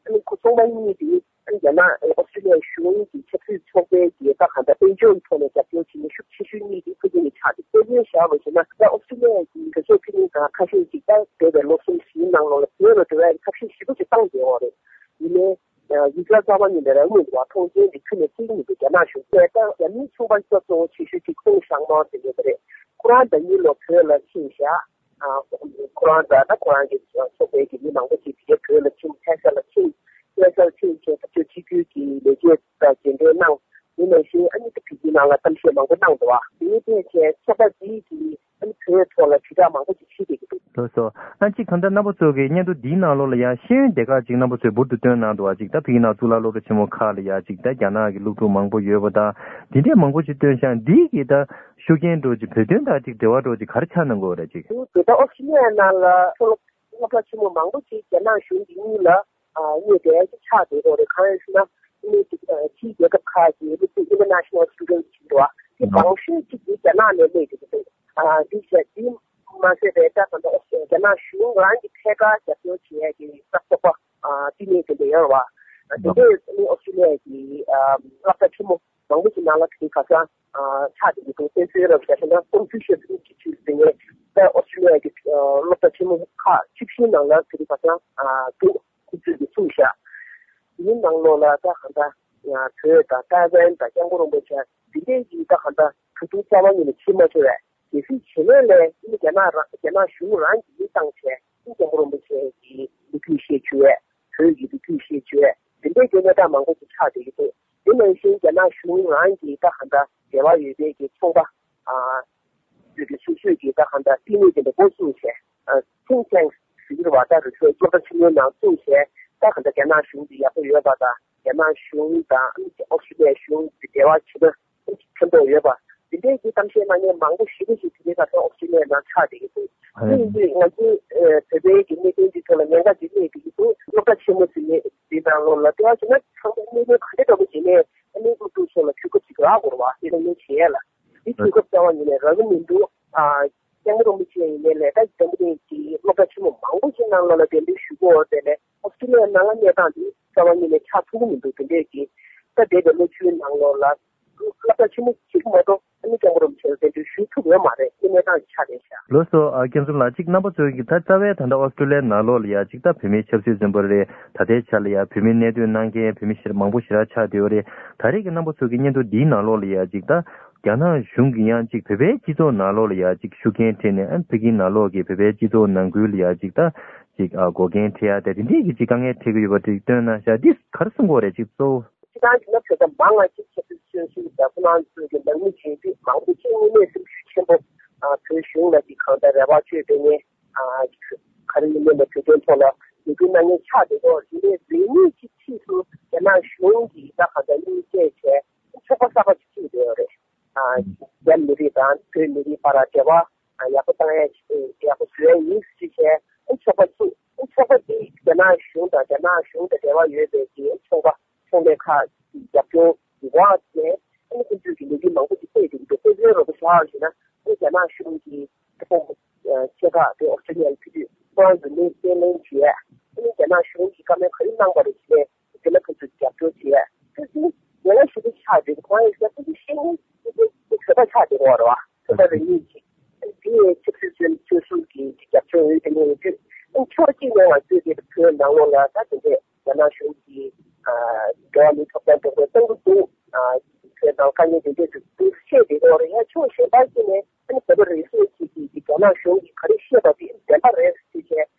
ཨ་ནི་ཁོ་ཚོང་པ་གཉིས་དེ་ཨ་ནི་རྒྱ་ནག་ཨོ་སི་ཀྲི་ལི་ཡ་གཞུང་གི་ཆབ་སྲིད་ཚོགས་པའི་གི་ད་གང་ལྟར་དཔལ་འབྱོར་གྱི་ཐོག་ནས་རྒྱབ་སྐྱོར་བྱེད་མཁན་ཤུགས་ཆེ་ཤོས་གཉིས་དེ་ཁོ་ཚོ་གཉིས་ཆགས་ཏེ། དཔེ་མཚོན་བཞག་པ་ཞིག་ན་ད་ཨོ་སི་ཀྲི་ལི་ཡ་གི་གྲོས་ཚོགས་འཐུས་མི་གང་ཁ་ཤས་ཤིག་ད་འདས་པའི་ལོ་གསུམ་བཞིའི་ནང་ལོགས་ལ་བོད་ལ་འགྲོ་ཡ་གི་ཐབས་ཤེས་ཞེ་པོ་ཅིག་བཏང་བསྡད་ཡོད་རེད། ཡིན་ནའི་ཡིག་ཆ་གསར་པ་གཉིས་ལ་རང་མོས་འདུག་བ། མཐོང་མཆན་དེ་ཁྱོན་ནས་སྤྲད་ཀྱི་མི་འདུག་རྒྱ་ནག་གཞུང་གིས། ད་རྒྱ་མིའི་ཚོང་པ་སྐྱོ་གཙོ་བོ་ཆེ་ཤོས་དེ་ཀུང་ཧྲང་མའོ་ཟེར་མཁན་དེ་རེད། ཁོ་རང་ཟླ་ཉིན་ལོ་བོད་ལ་ཕྱིན་བཞག་ཨ་ཁོ་རང་དང་ད་ཁོ་རང་གི་ཚོགས་པའི་གི་མི་མང་པོ་ཅིག་དེ་གའི་བོད་ལ་ཕྱིན། ལྷ་ས་ལ་ཕྱིན། ལྷ་སར་ཕྱིན་བྱས་འཐབ་ཕྱོགས་གཅིག་གྱུར་གྱི་ལས་བྱེད་དང་མཇལ་འཕྲད་གནང་ དེ་ནང་བཞིན་ཨ་ནི་ད་བོད་ཀྱི་ནང་ལ་གཏམ་བཤད་མང་པོ་གནང་འདུག་བ། དེ་ནི་ཕལ་ཆེར་ཚོགས་པ་འདིའི་གི་ཨ་ནི་བོད་ཐོག་ལ་དྲིལ་བསྒྲགས་མང་པོ་ཞིག་བྱེད་བསྡད་ཀྱི་འདུག་ལགས་སོ། ཨ་གཅིག་གང་ལྟར་རྣམ་པ་ཚོ་གི་སྙན་ཐོ་འདིའི་ནང་ལོགས་ལ་ཡང་ཤེས་ཡོན་སྡེ་ཁག་ཅིག་རྣམ་པ་ཚོས་འབུར་དུ་བཏོན་གནང་འདུག་བ། ཅིག་ད་བོད་ཀྱི་ནང་གཙུག་ལག་སློབ་གྲྭ་ཆེན་མོ་ཁག་ལ་ཡང་ཅིག་ད་རྒྱ་ནག་གི་སློབ་ཕྲུག་མང་པོ་ཡོད་པ་དང་འདི་འདྲའི་མང་པོ་ཞིག་བཏོན་ཤག་འདི་གི་ད་ཤུགས་རྐྱེན་འདྲ་ཅིག་བོད་དོན་དང་ཅིག་འབྲེལ་བ་འདྲ་ཅིག་ག་རེ་ཆགས་གནང་གི་ཡོད་རེད། ཅིག་བོད་དང་ཨོ་སི་ཀྲི་ལི་ཡ་ནང་ལ་མཐོ་སློབ་སློབ་གྲྭ་ཆེན་མོ་མང་པོ་ཅིག་རྒྱ་ནག་གཞུང་གི་མིང་ལ་ཨ་གནས་བསྡད་ཀྱི་ཆགས་བསྡད་ཡོད་རེད། གང་ཡིན་ཟེར་ན་ཨ་ནི་ཅིག་ཨ་ཕྱིའི་རྒྱལ་ཁབ་ཁག་གི་སློབ་ཕྲུག་International Students་ཟེར་བ་དེ་ཨ་མང་ཤོས་ཅིག་དེ་རྒྱ་ནག་ནས་སླེབས་ཀྱི་འདུག་ཨ་འདི་བྱས་འདི་མ་ཟད་པའི་ད་ད་ལྟ་རྒྱ་ནག་གཞུང་རང་གི་ཐད་ཀར་རྒྱབ་སྐྱོར་བྱེད་ཡས་ཀྱི་ས་ཚོགས་པ་ཨ་བསྟི་གནས་དེ་འདྲ་ཡོད་རེད་བ། དེ་འདྲས་ཨ་ནི་ཨོ་སི་ཀྲི་ལི་ཡ་གི་ཨ་སློབ་གྲྭ་ཆེན་མོ་མང་པོ་ཞིག་ནང་ལ་དེ་ག་ས་ཨ་ཆགས་བསྡད་ཀྱི་འདུག་དཔེ་མཚོན་རབ་བཞག་ན་Confucius Institute་ཟེར་མཁན་ད་ཨོ་སི་ཀྲི་ལི་ཡ་གི་ཨ་སློབ་གྲྭ་ཆེན་མོ་ཁག་བཅུ་བཞིའི་ནང་ལ་དེ་ག་ས་ཨ་འདུག་ཁོ་ཚོས་ཀྱི་གསུངས་ཤག་དེའི་ནང་ལོགས་ལ་ད་གང་ལྟར་ང་བོད་དང་ཏཱའི་ཝན་དང་སྐྱབས་མགོན་རིན་པོ་ཆེ་འདི་འདྲའི་གི་ད་གང་ལྟར་ད་དུང་རྩ་བ་ཉིད་ནས་ཕྱིར་མ་འབྱོར་བས་གལ་སྲིད་བྱེད་ལས་ལས་ཨ་ནི་རྒྱ་ནག་རང་རྒྱ་ནག་གཞུང་རང་གིས་མི་བཏང་བྱས་ཨ་ནི་སྐྱབས་མགོན་རིན་པོ་ཆེ་གི་ལོ་རྒྱུས་བཤད་བཅུག་ཡས་བོད་ཀྱི་ལོ་རྒྱུས་བཤད་བཅུག་ཡས་དེ་འདྲའི་གི་གནས་སྟངས་མང་པོ་ཞིག་ཆགས་བསྡད་ཀྱི་འདུག་དེ་ནང་བཞིན་རྒྱ་ནག་གཞུང་རང་གིས་ད་གང་ལྟར་འབྲེལ་བ་ཡོད་པའི་གི་ཚོང་པ་ཨ་ཡོད་པའི་སོ་སོས་ཀྱི་ད་གང་ལྟར་བསྟི་གནས་དེ་འདྲ་འགོ་བཙུགས་བྱས་ཨ་think tanks་ཟེར་གྱི་རེད་བ། ད་རེད་ཚོད་སློབ་གྲྭ་ཆེན་མོའི་ནང་བཙུགས་བྱས་ད་གང་ལྟར་རྒྱ་ནག་གཞུང་གི་ཡག་པོ་ཡོད་པ་དང་རྒྱ་ནག་གཞུང་དང་ཨ་ནི་ཨོ་སི་ཀྲི་ལི་ཡ་གཞུང་གི་འབྲེལ་བ་བྱེད་ན་ཕན་ཐོགས་ཡོད་པ་དེ་འདྲའི་གི་གཏམ་བཤད་གནང་མཁན་མང་པོ་ཞེ་པོ་ཞིག་དེ་རིང་ཁ་སང་ཨོ་སི་ཀྲི་ལི་ཡའི་ནང་ཆགས་བསྡད་ཀྱི་འདུག་དེ་ཡིན་དུས་ང་ཚོའི་ཨ་བོད་པའི་གི་གནད་དོན་འདི་ཐོག་ལ་ཉེན་ཁ་ཅིག་སླེབས་བསྡད་ཀྱི་འདུག་སློབ་གྲྭ་ཆེན་མོ་ཟེར་མཁན་འདི་ནང་ལོགས་ལ་ལྟ་བ་བྱས་ན་ཚང་མ་གནད་དོན་ག་འདྲ་འདྲ་པོ་བྱས་ནས་ཨ་ནི་སློབ་ཕྲུག་ཚོ་ལ་དུས་སྐབས་ཅིག་རག་དགོས་རེད་བ། དེ་ལ་ངས་བྱས་ལ་འདི་དུས་སྐབས་རྩ་བ་ཉིད་ནས་རག་གི་མི་འདུག་ཨ་སྐྱབས་མགོན་རིན་པོ་ཆེ་ཡིན་ནའི་ལས་ད་འཛམ་བུ་གླིང་གི་སློབ་གྲྭ་ཆེན་མོ་མང་པོ་ཞིག་ནང་ལོགས་ལ་གདན་འདྲེན་ཞུ་གི་ཡོད་དེ་ལས་ཨོ་སི་ཀྲི་ལི་ཡ་ནང་ལ་གནས་སྟངས་འདི་རྩ་བ་ཉིད་ནས་ཆགས་ཐུབ་ཀྱི་མི་འདུག་དེ་འདྲས་ཀྱི་ད་འདས་པའི་ལོ་བཅུའི་ནང་ལོགས་ལ་སློབ་གྲྭ་ཆེན་མོ་གཅིག་མ་གཏོགས་ཨ་ནི་སྐྱབས་མགོན་རིན་པོ་ཆེ་ལ་གདན་འདྲེན་ཞུ་ཐུབ་ཡོད་མ་རེད། དེ་གནས་སྟངས་ཆགས་བསྡད་ཤག་ལགས་སོ། ཨ་སྐྱབས་མགོན་ལགས་གཅིག་རྣམ་པ་ཚོས་ཀྱི་ད་རྩ་བའི་ད་ལྟ་ཨོ་སི་ཀྲི་ལི་ཡའི་ནང་ལོགས་ལ་ཡ་གཅིག་ད་བོད་མིའི་ཆབ་སྲིད་བཙོན་པ་རེད། ད་ལྟའི་ཆ་ལ་ཡ་བོད་མི་གནས་སྡོད་གནང་མཁན་བོད་མི་ཞེ་མང་པོ་ཞེ་དྲག་ཆགས་བསྡད་ཡོད་རེད། ད་རེས་ཀྱི་རྣམ་པ་ཚོ་གི་སྙན་ཐོ་འདིའི་ནང་ལོགས་ལ་ཡ་ཅིག་ད་རྒྱ་ནག་གཞུང་གིས་ཡང་ཅིག་བོད་པའི་སྤྱི་ཚོགས་ནང་ལོགས་ལ་ཡ་ཅིག་ཤུགས་རྐྱེན་ཐེབས་ནས་ཨ་ཕ་གིའི་ནང་ལོགས་ཀྱི་བོད་པའི་སྤྱི་ཚོགས་ནང་ཁུལ་ལ་ཡ་ཅིག་ད་ཅིག་ཨ་འགོག་རྐྱེན་འཕྲད་ཡ་དེ་དེ་འདྲས་ཀྱི་ཅིག་དཀའ་ངལ་འཕྲད་ཀྱི་ཡོད་པ་ཅིག་སྟོན་གནང་ཤག་འདི་ག་རེ་གསུང་གི་ཡོད་རེད། ཅིག་གཙོ་བོ་སྤྱི་བཏང་གི་ན་བོད་པ་མང་བ་ཅིག་ཆབ་སྲིད་བཙོན་ཟུར་དང་ཁོ་རང་ཚོའི་གི་ནང་མི་བྱེད་དུས་མང་པོ་ཅིག་དངོས་གནས་སེམས་ཤུགས་ཆེན་པོ་ཨ་བོད་གཞུང་ལ་ཅིག་གང་ལྟར་རེ་བ་བཅོལ་བསྡད་མཁན་ཨ་ག་རེ་ཡིན་མིན་ལ་བོད་དོན་ཐོག་ལ་ལས་འགུལ་གནང་མཁན་ཆགས་བསྡད་ཡོད་རེད། དེ་ནས་རེ་གཉིས་ཀྱི་ཕྱིས་སུ་རྒྱ་ནག་གཞུང་གིས་ད་ག་འདྲ་གཉིས་བཅས་བྱས་ཚོགས་པ་གསར་པ་ཞིག་བཙུགས་བསྡད་ཡོད་རེད། ཨ་རྒྱ་མི་རིགས་དང་བོད་མི་རིགས་བར་འབྲེལ་བ་ཡག་པོ་བཏང་ཡ་ཞིག་ཡག་པོ་བཟོ་ཡ་ཡིན་ཞེས་བྱས་ཚོགས་པ་བཙུགས། ཚོགས་པ་འདི་རྒྱ་ནག་གཞུང་དང་རྒྱ་ནག་གཞུང་དང་འབྲེལ་བ་ཡོད་པའི་གི་ཚོང་པ་ཚོང་ལས་ཁག་གི་རྒྱབ་སྐྱོར་གྱི་འོག་ནས་ཨ་ནི་ཁོང་ཚོས་ཀྱི་ལས་འགུལ་མང་པོ་ཞིག་སྤེལ་བསྡད་ཀྱི་འདུག་དཔེ་མཚོན་རོབ་ཙམ་བཞག་པ་ཞིག་ན་ཨ་ནི་རྒྱ་ནག་གཞུང་གི་ཁོང་ཆེ་ཁག་དེ་ཨོ་སི་ཀྲི་ལི་ཡར་ཕེབས་དུས་ཁོ་རང་ཚོ་གནས་གཏན་ལེན་བྱས། ཨ་ནི་རྒྱ་ནག་གཞུང་གིས་བཀའ་མོལ་ག་རེ་གནང་པ་རེད་ཟེར་ནས་དེ་ལ་ཁོ་ཚོས་རྒྱབ་སྐྱོར་བྱས། ཁོ་ཚོས་ཡང་ན་ཞུ་གི་ཆགས་རེད། ཁོང་ཡང་ཞུ་གི་ཤེས་ནས་ཁོ་ཚོས་བོད་པ་ཆགས་བསྡད་ཡོད་རེད་བ། བོད་པ་རེ་གཉིས་ཀྱིས་ཨ་ནི་དེ་ཡང་ཆབ་སྲིད་བཙོན་བཙོན་ཟུར་གྱི་རྒྱབ་སྐྱོར་ཡོད་དེ་ནས་ཡོད་དུས་ཨ་ནི་ཕྱོགས་གཅིག་ནས་ང་ཚོས་དེ་བོད་ནང་ལོགས་ལ་ད་དེ་འདྲས་རྒྱ་ནག་གཞུང་གིས་ཨ་འགྲོ་བ་མིའི་ཐོབ་ཐང་སྡུག་སྦྱོང་བཏང་གི་འདུག་ཨ་བོད་ནང་དཀའ་ངལ་དེ་འདྲས་འདུག་འདུག་བཤད་བསྡད་ཡོད་རེད། ཡང་ཕྱོགས་གཞན་པ་ཞིག་ནས་ཨ་ནི་བོད་པ་རེ་ཟུང་ཞིག་གིས་རྒྱ་ནག་གཞུང་གིས་ག་རེ་བཤད་པ་དེ་བདེན་པ་རེད་ཟེར་བྱས་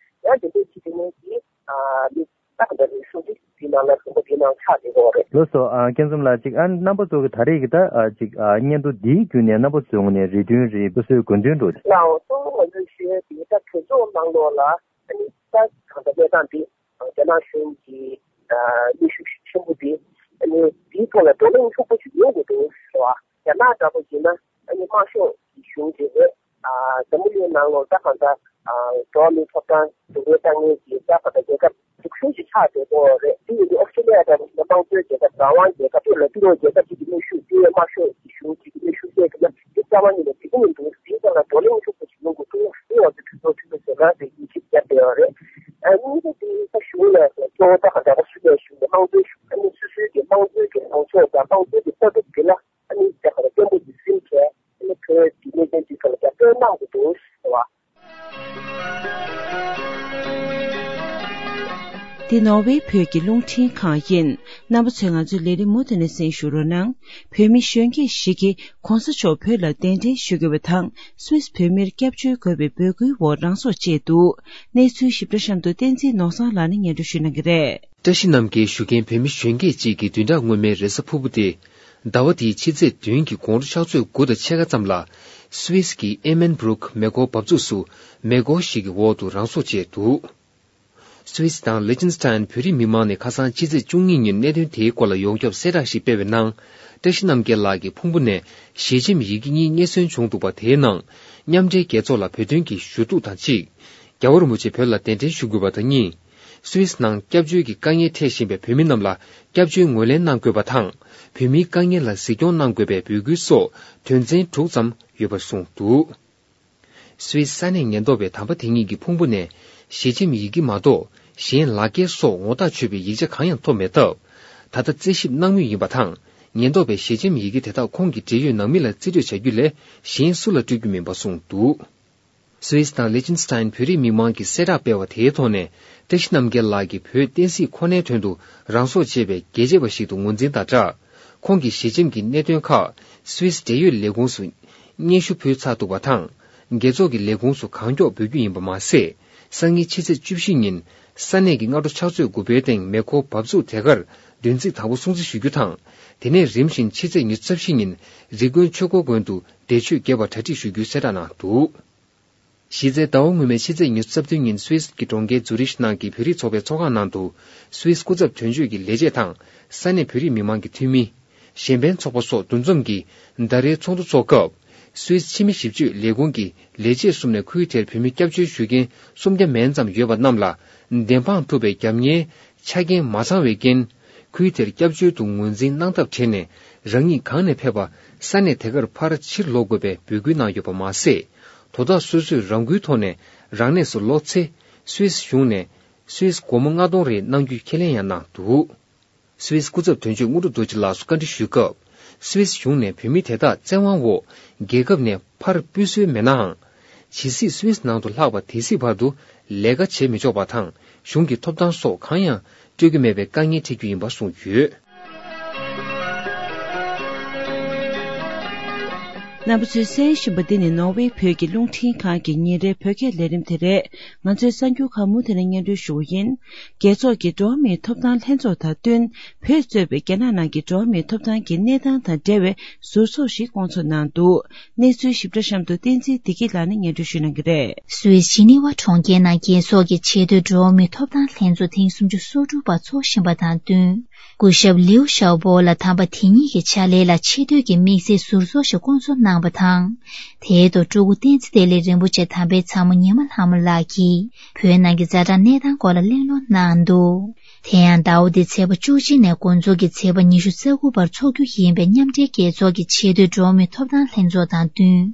ཡང་དེ་འདྲས་བྱས་དེ་ནས་ཀྱིས་ཨ་མི་ད་ག་འདྲ་རེད་གསུང་དུས་དེའི་ནང་ལ་ཁོང་པ་དེའི་ནང་ཆགས་བསྡད་ཡོད་རེད། ལགས་སོ། ཨ་སྐྱབས་མགོན་ལགས་གཅིག་ཨ་རྣམ་པ་ཚོ་གི་ད་རེས་ཀྱི་ད་ཨ་གཅིག་ཨ་སྙན་ཐོ་འདིའི་བརྒྱུད་ནས་རྣམ་པ་ཚོའི་ངོས་ནས་རེ་འདུན་རེད། སོ་སོའི་དགོས་འདུན་འདྲ་བོ་ཅིག་ལའོ། གཙོ་བོ་ང་ཚོས་ཞུ་ཡ་དེ་ད་གྲོས་ཚོགས་ནང་ལོགས་ལ་ཨ་ནི་ད་གང་ལྟར་གནས་སྟངས་འདི་རྒྱ་ནག་གཞུང་གི་ཨ་གནོན་ཤུགས་ཤུགས་ཆེན་པོ་འདི་ཨ་ནི་འདིའི་ཐོག་ལ་བགྲོ་གླེང་ལྷུག་པོ་ཞིག་ཡོང་དགོས་འདུག་ཟེར་བ། རྒྱ་ནག་འདྲ་པོ་ཡིན་ན་ཨ་ནི་དམར་ཤོག་གི་གཞུང་གི་རེད། ཨ་འཛམ་བུ་གླིང་ནང་ལོགས་ད་གང་ལྟར་ཨ་འགྲོ་བ་མིའི་ཐོབ་ཐང་སྡུག་བསྔལ་བཏང་མཁན་གྱི་ད་གང་ལྟར་རྒྱལ་ཁབ་འཛུགས་ཤིང་ཅིག་ཆགས་བསྡད་ཡོད་རེད། དེ་ཡིན་དུས་ཨོ་སི་ཀྲི་ལི་ཡ་འདྲ་པོ་ཞིག་ན་དམངས་གཙོའི་རྒྱལ་ཁབ་རང་དབང་རྒྱལ་ཁབ་དེ་ལ་ཏི་རོ་རྒྱལ་ཁབ་ཅིག་གི་གནོན་ཤུགས་དེ་དམར་ཤོག་གི་གཞུང་གཅིག་གི་གནོན་ཤུགས་བཤད་ཀྱི་ན་འདི་རྩ་བ་ཉིད་ནས་འགྲིག་གི་མི་འདུག་དེའི་ཐོག་ལ་བགྲོ་གླེང་ཤུགས་པོ་ཞིག་ཡོང་དགོས་འདུག་དེ་ང་ཚོ་གྲོས་ཚོགས་འཐུས་མི་ཚོས་ལ་དེ་ཡིད་ཆེས་བརྒྱབ་བསྡད་ཡོད་རེད། ཨ་གཉིས་པ་དེ་ད་གཞུང་ལ་གཙོ་བོ་ད་ག་འདྲ་ཨོ་སི་ཀྲི་ལི་ཡ་གཞུང་གི་དམངས་གཙོའི་གཞུང་ཨ་ནི་སོ་སོའི་གི་དམངས་གཙོའི་གི་ལངས་ཕྱོགས་དང་དམངས་གཙོའི་གི་ལྟ་གྲུབ་དེ་ལ་ཨ་ནི་ད་ག་རེ་བརྟན་པོ་ཞིག་ཟིན་བྱས་ཨ་ནི་བོད་ཀྱི་གནད་དོན་འདི་ཚོ་ལ་རྒྱབ་སྐྱོར་གནང་དགོས་འདུག་ཟེར་བ། འདི་ནོར་ཝེ་བོད་ཀྱི་རླུང་འཕྲིན་ཁང་ཡིན། རྣམ་པ་ཚོས་ང་ཚོའི་ལས་རིམ་མུ་མཐུད་ནས་གསན་ཞུ་རོགས་གནང་། བོད་མི་གཞོན་སྐྱེས་ཞིག་གིས་གོང་ས་མཆོག་བོད་ལ་གདན་འདྲེན་ཞུ་དགོས་པ་དང་སུད་སི་བོད་མིར་སྐྱབས་བཅོལ་དགོས་པའི་འབོད་སྐུལ་འོག་རང་སྲོག་བཅད་འདུག་གནས་ཚུལ་ཞིབ་ཕྲ་གཤམ་དུ་བསྟན་འཛིན་ནོར་བཟང་ལགས་ནས་སྙན་སྒྲོན་ཞུ་གནང་གི་རེད། བཀྲ་ཤིས་རྣམ་རྒྱལ་ཞུ་མཁན་བོད་མི་གཞོན་སྐྱེས་གཅིག་གི་བདུན་ཕྲག་སྔོན་མའི་རེས་གཟའ་ཕུར་བུ་སྟེ། ཟླ་བ་འདིའི་ཕྱི་ཚེས་བདུན་གྱི་དགོང་དྲོ་ཕྱག་ཚོད་དགུ་དང་ཕྱེད་ཀ་ཙམ་ལ། སུད་སི་གི་ཨེ་མན་སྦུ་རུག་མེ་འཁོར་འབབ་ཚུགས་སུ་མེ་འཁོར་ཞིག་གི་འོག་ཏུ་རང་སྲོག་བཅད་འདུག་སུད་སི་དང་ལི་ཅིན་སི་ཐན་བོད་རིགས་མི་མང་ནས་ཁ་སང་ཕྱི་ཚེས་བཅུ་གཉིས་ཉིན་གནད་དོན་དེའི་སྐོར་ལ་ཡོངས་ཁྱབ་གསལ་བསྒྲགས་ཤིག་སྤེལ་བའི་ནང་། བཀྲ་ཤིས་རྣམ་རྒྱལ་ལགས་ཀྱི་ཕུང་པོ་ནས་ཞལ་ཆེམས་ཡི་གེ་གཉིས་རྙེད་སོན་བྱུང་འདུག་པ། དེའི་ནང་མཉམ་འབྲེལ་རྒྱལ་ཚོགས་ལ་བོད་དོན་གྱི་ཞུ་གཏུག་དང་གཅིག་རྒྱལ་བ་རིན་པོ་ཆེ་བོད་ལ་གདན་འདྲེན་ཞུ་དགོས་པ་དང་གཉིས། སུད་སི་ནང་སྐྱབས་བཅོལ་གྱི་དཀའ་ངལ་འཕྲད་བཞིན་པའི་བོད་མི་རྣམས་ལ་སྐྱབས་བཅོལ་ངོས་ལེན་གནང་དགོས་པ་དང་། བོད་མིའི་དཀའ་ངལ་ལ་གཟིགས་སྐྱོང་གནང་དགོས་པའི་འབོད་སྐུལ་སོགས་དོན་ཚན་དྲུག་ཙམ་ཡོད་པར་གསུངས་འདུག་སུད་སི་ས་གནས་ཉེན་རྟོག་པས་དམ་པ་དེ་ཉིད་ཀྱི་ཕུང་པོ་ནས་ཞལ་ཆེམས་ཡི་གེ་མ་གཏོགས་གཞན་ལག་འཁྱེར་སོགས་ངོ་ཐག་ཆོད་པའི་ཡིག་ཆ་གང་ཡང་ཐོབ་མེད་སྟབས། ད་ལྟ་རྩད་ཞིབ་གནང་མུས་ཡིན་པ་དང་། ཉེན་རྟོག་པས་ཞལ་ཆེམས་ཡི་གེ་དེ་དག་ཁོང་གི་འབྲེལ་ཡོད་ནང་མི་ལ་རྩིས་སྤྲོད་བྱ་རྒྱུ་ལས་གཞན་སུ་ལ་སྤྲོད་རྒྱུ་མིན་པ་གསུངས་འདུག་སུད་སི་དང་ལི་ཅིན་སི་ཐན་བོད་རིགས་མི་མང་གིས་གསལ་བསྒྲགས་སྤེལ་བ་དེའི་ཐོག་ནས། བཀྲ་ཤིས་རྣམ་རྒྱལ་ལགས་ཀྱིས་བོད་བསྟན་སྲིད་ཁོ་ནའི་དོན་དུ་རང་སྲོག་བཅད་པའི་རྒྱལ་གཅེས་པ་ཞིག་ཏུ་ངོས་འཛིན་དང་སྦྲགས། ཁོང་གི་ཞལ་ཆེམས་ཀྱི་གནད་དོན་ཁག་སུད་སི་འབྲེལ་ཡོད་ལས་ཁུངས་སུ་སྙན་ཞུ་ཕུལ་ཚར་འདུག་པ་དང་། རྒྱལ་ཚོགས་ཀྱི་ལས་ཁུངས་སུ་གང་མགྱོགས་འབུལ་རྒྱུ་ཡིན་པ་མ་ཟད། སང་ཉིན་ཕྱི་ཚེས་བཅུ་བཞི་ཉིན་ས་གནས་ཀྱི་སྔ་དྲོ་ཕྱག་ཚོད་དགུ་པའི་སྟེང་མེ་འཁོར་འབབ་ཚུགས་དེ་གར་བདུན་ཚིགས་དང་པོ་སྲུང་བརྩི་ཞུ་རྒྱུ་དང་། དེ་ནས་རིམ་བཞིན་ཕྱི་ཚེས་ཉི་ཤུ་རྩ་བཞི་ཉིན་རི་ཀོན་ཆོས་འཁོར་དགོན་དུ་འབྲེལ་མཆོད་རྒྱས་པར་གྲ་སྒྲིག་ཞུ་རྒྱུའི་གསལ་བསྒྲགས་གནང་འདུག་གཞི་རྩའི་ཟླ་བ་སྔོན་མའི་ཕྱི་ཚེས་ཉི་ཤུ་རྩ་བདུན་ཉིན་སུད་སི་གི་གྲོང་ཁྱེར་ཛུ་རིཤ་ནང་གི་བོད་རིགས་ཚོགས་པའི་ཚོགས་ཁང་ནང་དུ། སུད་སི་སྐུ་ཚབ་དོན་གཅོད་ཀྱི་ལས་བྱེད་དང་ས་གནས་བོད་རིགས་མི་མང་གི་འཐུས་མི། གཞན་ཕན་ཚོགས་པ་སོགས་འདུ་འཛོམས་ཀྱིས་ཟླ་རེའི་ཚོགས་འདུ་འཚོགས་སྐབས། སུད་སི་ཕྱི་མི་ཞིབ་དཔྱོད་ལས་ཁུངས་ཀྱི་ལས་བྱེད་གསུམ་ནས་ཁུལ་དེར་བོད་མི་སྐྱབས་བཅོལ་ཞུ་མཁན་སུམ་བརྒྱ་མན་ཙམ་ཡོད་པ་རྣམས་ལ། བདེན་དཔང་གྲུབ་པའི་རྒྱབ་གཉེར་ཆ་རྐྱེན་མ་ཚང་བའི་རྐྱེན། ཁུལ་དེར་སྐྱབས་བཅོལ་དུ་ངོས་འཛིན་གནང་ཐབས་བྲལ་ནས། རང་ཉིད་གང་ནས་ཕེབས་པ་ས་གནས་དེ་གར་ཕར་ཕྱིར་ལོག་དགོས་པའི་འབོད་སྐུལ་གནང་ཡོད་པ་མ་ཟད། དོ་བདག་སོ་སོས་རང་འགུལ་ཐོག་ནས་རང་གནས་སུ་ལོག་ཚེ། སུད་སི་གཞུང་ནས་སུད་སི་སྒོར་མོ་ལྔ་སྟོང་རེ་གནང་རྒྱུའི་ཁས་ལེན་ཡང་གནང་འདུག་སུད་སི་སྐུ་ཚབ་དོན་གཅོད་དངོས་གྲུབ་རྡོ་རྗེ་ལགས་སུ་བཀའ་འདྲི་ཞུས་སྐབས། སུད་སི་གཞུང་ནས་བོད་མི་དེ་དག་བཙན་དབང་འོག་རྒྱལ་ཁབ་ནས་ཕར་སྤོས་སྲོལ་མེད་ནའང་། ཇི་སྲིད་སུད་སི་ནང་དུ་ལྷག་པ་དེ་སྲིད་བར་དུ་ལས་ཀ་བྱེད་མི་ཆོག་པ་དང་། གཞུང་གི་ཐོབ་ཐང་སོགས་གང་ཡང་སྤྲོད་ཀྱི་མེད་པའི་དཀའ་ངལ་འཕྲད་རྒྱུ་ཡིན་པ་གསུངས་ཡོད། རྣམ་པ་ཚོས་གསན་བཞིན་པ་འདི་ནི་ནོར་ཝེ་བོད་ཀྱི་རླུང་འཕྲིན་ཁང་གི་ཉིན་རེའི་བོད་སྐད་ལས་རིམ་དེ་རེད། ང་ཚོའི་གསར་འགྱུར་ཁག་མུ་མཐུད་ནས་སྙན་སྒྲོན་ཞུ་བ་ཡིན། རྒྱལ་ཚོགས་ཀྱི་འགྲོ་བ་མིའི་ཐོབ་ཐང་ལྷན་ཚོགས་དང་བསྟུན། བོད་གཙོས་པའི་རྒྱ་ནག་ནང་གི་འགྲོ་བ་མིའི་ཐོབ་ཐང་གི་གནས་སྟངས་དང་འབྲེལ་བའི་ཟུར་ཚོགས་ཤིག་བསྐོང་ཚོགས་གནང་འདུག་གནས་ཚུལ་ཞིབ་ཕྲ་གཤམ་དུ་བསྟན་འཛིན་བདེ་སྐྱིད་ལགས་ནས་སྙན་སྒྲོན་ཞུ་གནང་གི་རེད། སུད་སི་ཇི་ནི་ཝ་གྲོང་ཁྱེར་ནང་རྒྱལ་ཚོགས་ཀྱི་ཆེས་མཐོའི་འགྲོ་བ་མིའི་ཐོབ་ཐང་ལྷན་ཚོགས་ཐེངས་སུམ་ཅུ་སོ་དྲུག་པ་འཚོགས་བཞིན་པ་དང་བསྟུན། སྐུ་ཞབས་ལིའུ་ཞའོ་པོ་ལགས་དམ་པ་དེ་ཉིད་ཀྱི་ཕྱག་ལས་ལ་ཆེ་བསྟོད་ཀྱི་དམིགས་བསལ་ཟུར་ཚོགས་ཤིག་བསྐོང་ཚོགས་གནང་བ་དང་། དེའི་ཐོག་སྤྲུལ་སྐུ་བསྟན་འཛིན་བདེ་ལེགས་རིན་པོ་ཆེ་དམ་པའི་ཚ་མོ་ཉི་མ་ལྷ་མོ་ལགས་ཀྱིས་བོད་ནང་གི་ཛ་དྲག་གནས་སྟངས་སྐོར་ལ་གླེང་སློང་གནང་འདུག་དེ་ཡང་ཟླ་བ་འདིའི་ཚེས་པ་བཅུ་གཅིག་ནས་འགོ་འཛུགས་ཀྱིས་ཚེས་པ་ཉི་ཤུ་རྩ་དགུ་བར་འཚོགས་རྒྱུ་ཡིན་པའི་མཉམ་འབྲེལ་རྒྱལ་ཚོགས་ཀྱི་ཆེས་མཐོའི་འགྲོ་བ་མིའི་ཐོབ་ཐང་ལྷན་ཚོགས་དང་བསྟུན།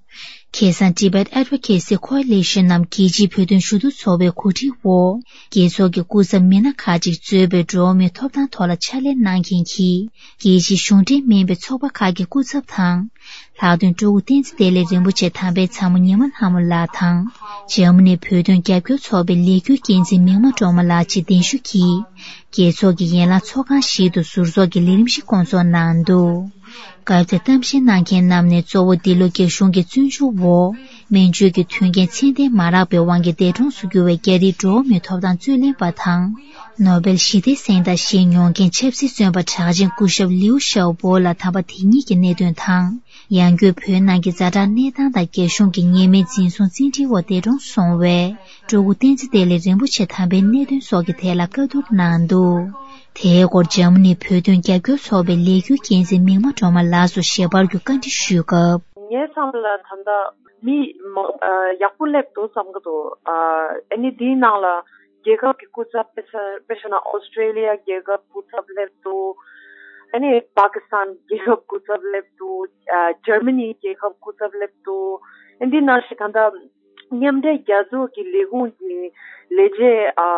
ཁ་སང་Tibet Advocacy Coalition ནམ་རྒྱལ་སྤྱིའི་བོད་དོན་ཞུ་གཏུག་ཚོགས་པའི་གོ་སྒྲིག་འོག་རྒྱལ་ཚོགས་ཀྱི་སྐུ་ཚབ་མི་སྣ་ཁག་ཅིག་གཙོས་པའི་འགྲོ་བ་མིའི་ཐོབ་ཐང་ཐོག་ལ་ཕྱག་ལས་གནང་མཁན་གྱི་རྒྱལ་སྤྱིའི་གཞུང་འབྲེལ་མིན་པའི་ཚོགས་པ་ཁག་གི་སྐུ་ཚབ་དང་། ལྷག་དོན་སྤྲུལ་སྐུ་བསྟན་འཛིན་བདེ་ལེགས་རིན་པོ་ཆེ་དམ་པའི་ཚ་མོ་ཉི་མ་ལྷ་མོ་ལགས་དང་། འཇར་མ་ནིའི་བོད་དོན་རྒྱབ་སྐྱོར་ཚོགས་པའི་ལས་འགུལ་འགན་འཛིན་མིག་དམར་སྒྲོལ་མ་ལགས་བཅས་གདན་ཞུ་གིས། རྒྱལ་ཚོགས་ཀྱི་ཡན་ལག་ཚོགས་ཁང་ཞིག་ཏུ་ཟུར་ཚོགས་ཀྱི་ལས་རིམ་ཞིག་བསྐོང་ཚོགས་གནང་འདུག་སྐབས་དེར་གཏམ་བཤད་གནང་མཁན་རྣམས་ནས་གཙོ་བོ་འདི་ལོ་རྒྱ་གཞུང་གི་བཙོན་འཇུག་འོག་སྨན་བཅོས་ཀྱི་མཐུན་རྐྱེན་ཚད་ལྡན་མ་རག་པའི་དབང་གིས་འདས་གྲོངས་སུ་གྱུར་བའི་རྒྱ་རིགས་འགྲོ་བ་མིའི་ཐོབ་ཐང་རྩོད་ལེན་པ་དང་། ནོ་བེལ་ཞི་བདེའི་གཟེངས་རྟགས་བཞེས་མྱོང་མཁན་ཆབ་སྲིད་བཙོན་པ་གྲགས་ཅན་སྐུ་ཞབས་ལིའུ་ཞའོ་པོ་ལགས་དམ་པ་དེ་ཉིད་ཀྱི་གནད་དོན་དང་། ཡང་སྒོས་བོད་ནང་གི་ཛ་དྲག་གནས་སྟངས་དང་རྒྱ་གཞུང་གི་ཉེས་མེད་འཛིན་བཟུང་བཙན་ཁྲིད་འོག་འདས་གྲོངས་སོང་བའི་སྤྲུལ་སྐུ་བསྟན་འཛིན་བདེ་ལེགས་རིན་པོ་ཆེ་དམ་པའི་གནད་དོན་སོགས་ཀྱི་ཐད་ལ་བཀའ་བསྡུར་གནང་འདུག་དེའི་སྐོར་འཇར་མ་ནིའི་བོད་དོན་རྒྱབ་སྐྱོར་ཚོགས་པའི་ལས་འགུལ་འགན་འཛིན་མིག་དམར་སྒྲོལ་མ་ལགས་སུ་ཞལ་པར་བརྒྱུད་བཀའ་འདྲི་ཞུས་སྐབས། ངའི་བསམ་པ་ལ་ད་ལྟ་མི་མང་ཨ་ཡག་པོ་སླེབས་འདུག་བསམ་གྱི་འདུག་ཨ་ཨ་ནི་འདིའི་ནང་ལ་རྒྱལ་ཁབ་ཀྱི་སྐུ་ཚབ་དཔེ་ཆ་དཔེ་བཞག་ན་ཨོ་སི་ཀྲེ་ལི་ཡ་རྒྱལ་ཁབ་སྐུ་ཚབ་སླེབས་འདུག་ཨ་ནི་པ་ཀི་སི་ཐན་རྒྱལ་ཁབ་སྐུ་ཚབ་སླེབས་འདུག་ཨ་འཇར་མ་ནི་རྒྱལ་ཁབ་སྐུ་ཚབ་སླེབས་འདུག་ཨ་འདི་ནང་བཞིན་ད་ལྟ་མཉམ་འབྲེལ་རྒྱལ་ཚོགས་ཀྱི་ལས་ཁུངས་ཀྱི་ལས་བྱེད་ཨ་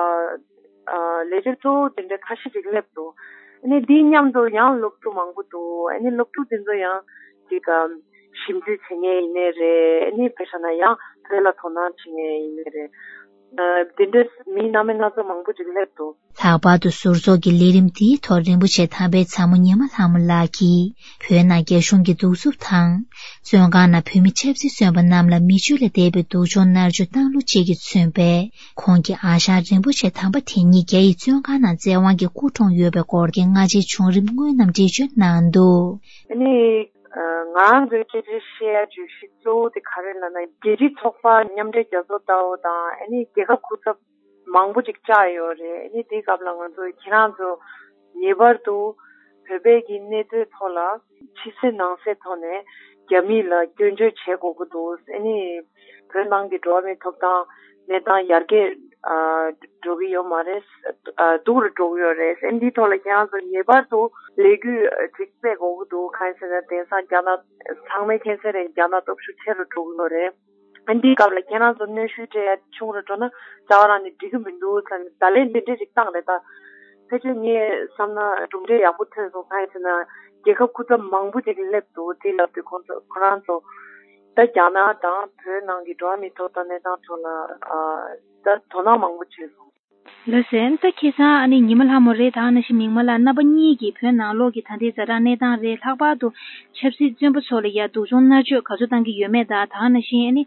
ཨ་ལས་བྱེད་གཙོ་བོ་དེ་འདྲ་ཁ་ཤས་ཅིག་སླེབས་འདུག་ཨ་ནི་འདིའི་མཉམ་དུ་ཡང་སློབ་ཕྲུག་མང་པོ་འདུག་ཨ་ནི་སློབ་ཕྲུག་དེ་ཚོ་ཡང་ཅིག་ཨ་ཞིབ་འཇུག་བྱེད་མཁན་ཡིན་ནའི་རེད། ཨ་ནི་དཔེ་བཞག་ན་ཡང་བོད་ལ་དོ་སྣང་བྱེད་མཁན་ཡིན་ནའི་རེད། འདི་འདྲའི་མི་སྣ་མིན་སྣ་ཚོགས་མང་པོ་ཅིག་སླེབས་འདུག། ལྷག་པར་དུ་ཟུར་ཚོགས་ཀྱི་ལས་རིམ་དེའི་ཐོག་རིན་པོ་ཆེ་དམ་པའི་ཚ་མོ་ཉི་མ་ལྷ་མོ་ལགས་ཀྱིས་བོད་ནང་རྒྱ་གཞུང་གི་གདུག་རྩུབ་དང་། བཙོན་ཁང་ནང་བོད་མི་ཆབ་སྲིད་བཙོན་པ་རྣམས་ལ་མི་སྤྱོད་ལས་འདས་པའི་སྡུག་སྦྱོང་མནར་གཅོད་བཏང་ལུགས་བཅས་ཀྱིས་མཚོན་པའི་ཁོང་གི་ཨ་ཞང་རིན་པོ་ཆེ་དམ་པ་དེ་ཉིད་རྒྱ་ཡི་བཙོན་ཁང་ནང་བཙན་དབང་གིས་སྐུ་གྲོངས་ཡོད་པའི་སྐོར་གྱི་སྔ་རྗེས་བྱུང་རིམ་དངོས་རྣམས་འགྲེལ་བརྗོད་གནང་འདུག། ཨ་ནི། ང་རང་ཚོའི་སྐད་ཆ་བཤད་ཡ་བརྗོད་གཞི་གཙོ་བོ་དེ་ག་རེ་ལབ་ན། རྒྱལ་སྤྱིའི་ཚོགས་པ་མཉམ་འབྲེལ་རྒྱལ་ཚོགས་ལྟ་བུ་དང་། ཨ་ནི་རྒྱལ་ཁབ་སྐུ་ཚབ་མང་པོ་ཅིག་བཅར་ཡོད་རེད། ཨ་ནི་དེའི་སྐབས་ལ་ང་ཚོ་ཁྱེད་རང་ཚོ་ངེས་པར་དུ་བོད་པའི་གི་གནས་ཚུལ་ཐོག་ལ་ཕྱི་གསལ་ནང་གསལ་ཐོག་ནས་རྒྱ་མི་ལ་སྐྱོན་བརྗོད་བྱེད་དགོས་ཀྱི་འདུག། ཨ་ནི་བོད་ནང་གི་འགྲོ་བ་མིའི་ཐོབ་ཐང་གནས་སྟངས་ཡར་རྒྱས་འགྲོ་གི་ཡོད་མ་རེད། སྡུག་རུ་འགྲོ་གི་ཡོད་རེད། ཨ་ནི་འདིའི་ཐོག་ལ་ཁྱེད་རང་ཚོ་ངེས་པར་དུ་ལས་འགུལ་ཅིག་སྤེལ་དགོས་ཀྱི་འདུག། གང་ཡིན་ཟེར་ན། དེང་སང་རྒྱ་ནག་ཚང་མས་མཁྱེན་གསལ་རེད། རྒྱ་ནག་སྟོབས་ཤུགས་ཆེ་རུ་འགྲོ་གི་ཡོད་རེད། ཨ་ནི་འདིའི་སྐབས་ལ་ཁྱེད་རང་ཚོ་གནོན་ཤུགས་སྤྲད་ཡ་ཆུང་རུ་འགྲོ་ན་རྩ་བ་རང་ནས་འགྲིག་གི་མི་འདུག་ཟེར་ནས་བརྡ་ལན་འདི་འདྲས་ཅིག་བཏང་རེད་ད། ཕལ་ཆེར་ངས་བསམ་ན་གྲུབ་འབྲས་ཡག་པོ་ཐོན་སོང་། གང་ཡིན་ཟེར་ན་རྒྱལ་ཁབ་སྐུ་ཚབ་མང་པོ་ཅིག་སླེབས་འདུག། དེ་ལབ་དུས་ཁོང་ཚོ་ཁོ་རང་ཚོ་ད་རྒྱ་ནག་དང་བོད་ནང་གི་འགྲོ་བ་མིའི་ཐོབ་ཐང་གནས་སྟངས་ཐོག་ལ་ཨ་ད་དོ་སྣང་མང་པོ་བྱས་སོང་། ལགས་སོ། ད་ཁ་སང་ཨ་ནི་ཉི་མ་ལྷ་མོ་རེད། ད་ནང་བཞིན་མིག་དམར་ལགས་རྣམ་པ་གཉིས་ཀྱིས་བོད་ནང་ལོགས་ཀྱི་ད་ལྟའི་ཛ་དྲག་གནས་སྟངས་རེད། ལྷག་པར་དུ་ཆབ་སྲིད་བཙོན་པ་ཚོ་ལ་ཡ་སྡུག་སྦྱོང་མནར་གཅོད་ག་ཚོད་བཏང་གི་ཡོད་མེད་དང་། ད་ནང་བཞིན་ཨ་ནི་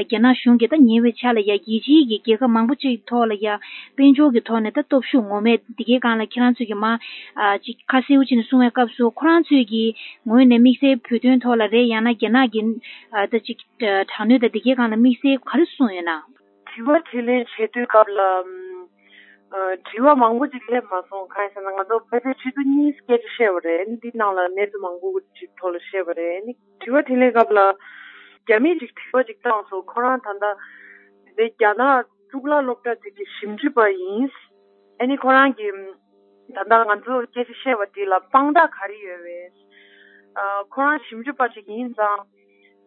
རྒྱ་ནག་གཞུང་གིས་ད་ཉེ་བའི་ཆར་ལ་ཡ་རྒྱལ་སྤྱིའི་གི་རྒྱལ་ཁབ་མང་པོ་ཅིག་ཐོག་ལ་ཡ་དཔལ་འབྱོར་གྱི་ཐོག་ནས་ད་སྟོབས་ཤུགས་ངོམ་མེད་འདི་གའི་སྒང་ལ་ཁྱེད་རང་ཚོས་ཀྱི་མ་ཨ་ཅིག་ཁ་གསལ་པོ་བྱས་ནས་གསུང་བའི་སྐབས་སུ། ཁོ་རང་ཚོས་ཀྱི་ངོས་ནས་དམིགས་བསལ་བོད་དོན་ཐོག་ལ་རེད། ཡང་ན་རྒྱ་ནག་གི་ཨ་ད་ཅིག་དྲག་གནོན་དང་འདི་གའི་སྒང་ལ་དམིགས་བསལ་ག་རེ་གསུངས་ཡོད་ན། དྲི་བ་དྲིས་ལན་བྱེད་དུས་སྐབས་ལ། ཨ་དྲི་བ་མང་པོ་ཅིག་སླེབས་མ་སོང་། གང་ཡིན་ཟེར་ན་ང་ཚོ་ཕལ་ཆེར་ཆུ་ཚོད་གཉིས་སྐད་ཆ་བཤད་པ་རེད། འདི་ནང་ལ་གནས་ཚུལ་མང་པོ་ཅིག་ཐོག་ལ་བཤད་པ་རེད། ནི་དྲི་བ་དྲིས་ལན་སྐབས་ལ་རྒྱ་མིས་ཅིག་དྲི་བ་ཅིག་བཏང་སོང་། ཁོ་རང་ད་ལྟ་འདི་རྒྱ་ནག་གཙུག་ལག་སློབ་གྲྭ་ཅིག་གི་ཞིབ་འཇུག་པ་ཡིན། ཨ་ནི་ཁོ་རང་གིས་ད་ལྟ་ང་ཚོ་སྐད་ཆ་བཤད་པ་དེ་ལ་དཔང་རྟགས་ག་རེ་ཡོད་པས། ཨ་ཁོ་རང་ཞིབ་འཇུག་པ་ཅིག་ཡིན་ཙང་།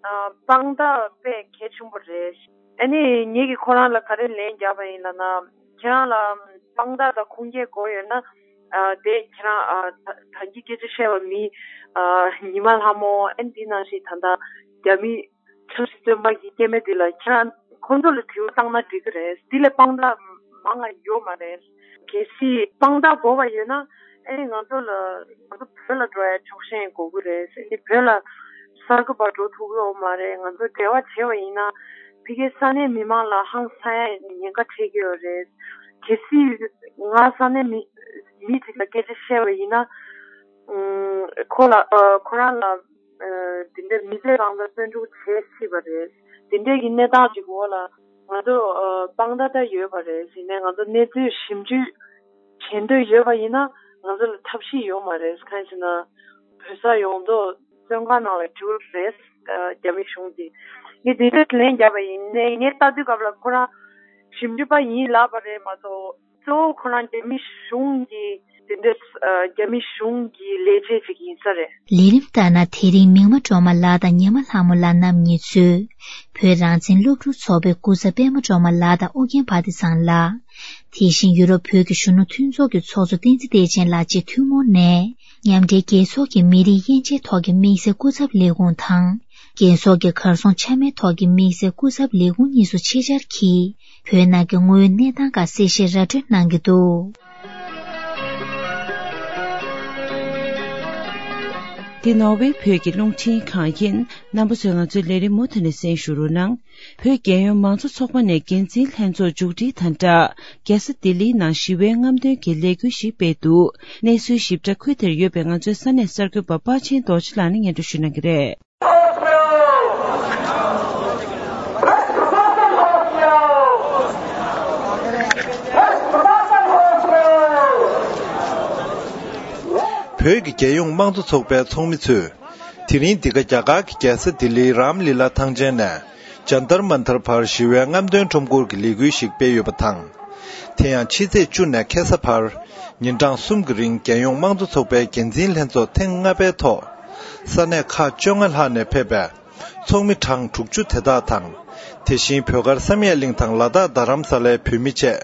ཨ་དཔང་རྟགས་དཔེ་གལ་ཆེན་པོ་རེད། ཨ་ནི་ངེད་ཀྱིས་ཁོ་རང་ལ་ག་རེ་ལན་བརྒྱབ་པ་ཡིན་ལབ་ན། ཁྱེད་རང་ལ་དཔང་རྟགས་དང་ཁུངས་སྐྱེལ་དགོས་ཡོད་ན། ཨ་དེ་ཁྱེད་རང་ཨ་ད་ད་གིན་སྐད་ཆ་བཤད་པ་མི་ཨ་ཉི་མ་ལྷ་མོ། ཨ་ནི་དེ་ནང་བཞིན་ད་ལྟ་རྒྱ་མི་ཆབ་སྲིད་བཙོན་པ་གི་སྐྱེ་དམན་དེ་ལ་ཁྱེད་རང་ཁོང་ཚོ་ལ་དྲི་བ་བཏང་ན་འགྲིག་གི་རེད། འདི་ལས་དཔང་རྟགས་མང་ང་ཡོད་མ་རེད། གལ་སྲིད་དཔང་རྟགས་དགོས་པ་ཡོད་ན། ཨེ་ང་ཚོ་ལ་ང་ཚོ་བོད་ལ་འགྲོ་ཡ་ཆོག་ཤེས་དགོས་ཀྱི་རེད། ཨེ་བོད་ལ་གསར་འགོད་པ་འགྲོ་ཐུབ་ཀྱི་ཡོད་མ་རེད། ང་ཚོ་འབྲེལ་བ་བྱས་པ་ཡིན་ན་ཕ་གིའི་ས་གནས་མི་མང་ལ་ཧང་སང་ཡ་ཉེན་ཁ་འཕྲད་ཀྱི་ཡོད་རེད། གལ་སྲིད་ང་ས་གནས་མི་མི་ཅིག་ལ་སྐད་ཆ་བཤད་པ་ཡིན་ན། ཨུམ་ཁོ་ལ་ཨ་ཁོ་རང་ལ་ཨ་དེ་འདྲའི་མི་ཚེ་རང་ལ་བཙོན་འཇུག་བྱེད་སྲིད་པ་རེད། དེ་འདྲའི་གི་གནས་སྟངས་ཅིག་འོག་ལ་ང་ཚོ་ཨ་དཔང་རྟགས་ད་ཡོད་པ་རེད། ཡིན་ནའི་ང་ཚོ་གནས་ཚུལ་ཞིབ་འཇུག་བྱེད་འདོད་ཡོད་པ་ཡིན་ན་ང་ཚོ་ལ་ཐབས་ཤེས་ཡོད་མ་རེད། གང་ཡིན་ཟེར་ན་བོད་ས་ཡོངས་རྫོགས་བཙོན་ཁང་ནང་ལ་འགྲུལ་རེད། ཨ་རྒྱ་མི་གཞུང་གིས་ངས་དེ་འདྲ་ལན་བརྒྱབ་པ་ཡིན་ནའི་ངས་ལྟ་དུས་སྐབས་ལ་ཁོ་རང་ཞིབ་འཇུག་པ་ཡིན་ལབ་པ་རེད་མ་གཏོགས། གཙོ་བོ་ཁོ་རང་རྒྱ་མི་གཞུང་གིས་དེ་འདྲ་ཨ་རྒྱ་མི་གཞུང་གི་ལས་བྱེད་ཅིག་ཡིན་ས་རེད། ལས་རིམ་ལྟར་ན། དེ་རིང་མིག་དམར་སྒྲོལ་མ་ལགས་དང་ཉི་མ་ལྷ་མོ་ལགས་རྣམ་གཉིས་གཙོས་བོད་རང་བཙན་སློབ་ཕྲུག་ཚོགས་པའི་སྐུ་ཚབ་པད་མ་སྒྲོལ་མ་ལགས་དང་ཨོ་རྒྱན་བྷ་དི་བཟང་ལགས། དེ་བཞིན་ཡུ་རོབ་བོད་ཀྱི་གཞོན་ནུ་མཐུན་ཚོགས་ཀྱི་ཚོགས་གཙོ་བསྟན་འཛིན་བདེ་ཆེན་ལགས་བཅས་ཐུན་མོང་ནས་མཉམ་འབྲེལ་རྒྱལ་ཚོགས་ཀྱི་མི་རིགས་དབྱེ་འབྱེད་ཐོག་གི་དམིགས་བསལ་སྐུ་ཚབ་ལས་ཁུངས་དང་། རྒྱལ་ཚོགས་ཀྱི་གར་སོང་ཆ་མེད་ཐོག་གི་དམིགས་བསལ་སྐུ་ཚབ་ལས་ཁུངས་གཉིས་སུ་ཆེད་བཅར་གྱིས། བོད་ནང་གི་དངོས་ཡོད་གནས་སྟངས་ཁག་གསལ་བཤད་ར་སྤྲོད་གནང་གི་འདུག། འདི་ནོར་ཝེ་བོད་ཀྱི་རླུང་འཕྲིན་ཁང་ཡིན། རྣམ་པ་ཚོས་ང་ཚོའི་ལས་རིམ་མུ་མཐུད་ནས་གསན་ཞུ་རོགས་གནང་། བོད་རྒྱལ་ཡོངས་མང་གཙོ་ཚོགས་པ་ནས་འགན་འཛིན་ལྷན་ཚོགས་མཇུག་སྒྲིལ་དང་སྦྲགས། རྒྱལ་ས་ལྡི་ལིའི་ནང་ཞི་བའི་རྔམ་སྟོན་གྱི་ལས་འགུལ་ཞིག་སྤེལ་འདུག། གནས་ཚུལ་ཞིབ་ཕྲ་ཁུལ་དེར་ཡོད་པའི་ང་ཚོའི་ས་གནས་གསར་འགོད་པ་དཔའ་ཆེན་རྡོ་རྗེ་ལགས་ནས་སྙན་སྒྲོན་ཞུ་གནང་གི་རེད། བོད་ཀྱི་རྒྱལ་ཡོངས་དམངས་གཙོ་ཚོགས་པའི་ཚོགས་མི་ཚོས། དེ་རིང་འདི་ག་རྒྱ་གར་གྱི་རྒྱལ་ས་ལྡི་ལིའི་རམ་ལི་ལ་ཐང་ཆེན་ནས་ཇན་ཏར་མན་ཐར་བར་ཞི་བའི་རྔམ་སྟོན་ཁྲོམ་སྐོར་གྱི་ལས་འགུལ་ཞིག་སྤེལ་ཡོད་པ་དང་། དེ་ཡང་ཕྱི་ཚེས་བཅུ་ནས་ཁ་སང་བར་ཉིན་གྲངས་གསུམ་གྱི་རིང་རྒྱལ་ཡོངས་དམངས་གཙོ་ཚོགས་པའི་འགན་འཛིན་ལྷན་ཚོགས་ཐེངས་ལྔ་པའི་ཐོག་ས་གནས་ཁག་བཅོ་ལྔ་ལྷག་ནས་ཕེབས་པའི་ཚོགས་མི་གྲངས་དྲུག་ཅུ་དེ་དག་དང་། དེ་བཞིན་བོད་མཁར་བསམ་ཡས་གླིང་དང་ལ་དྭགས་རྡ་རམ་ས་ལའི་བོད་མི་བཅས་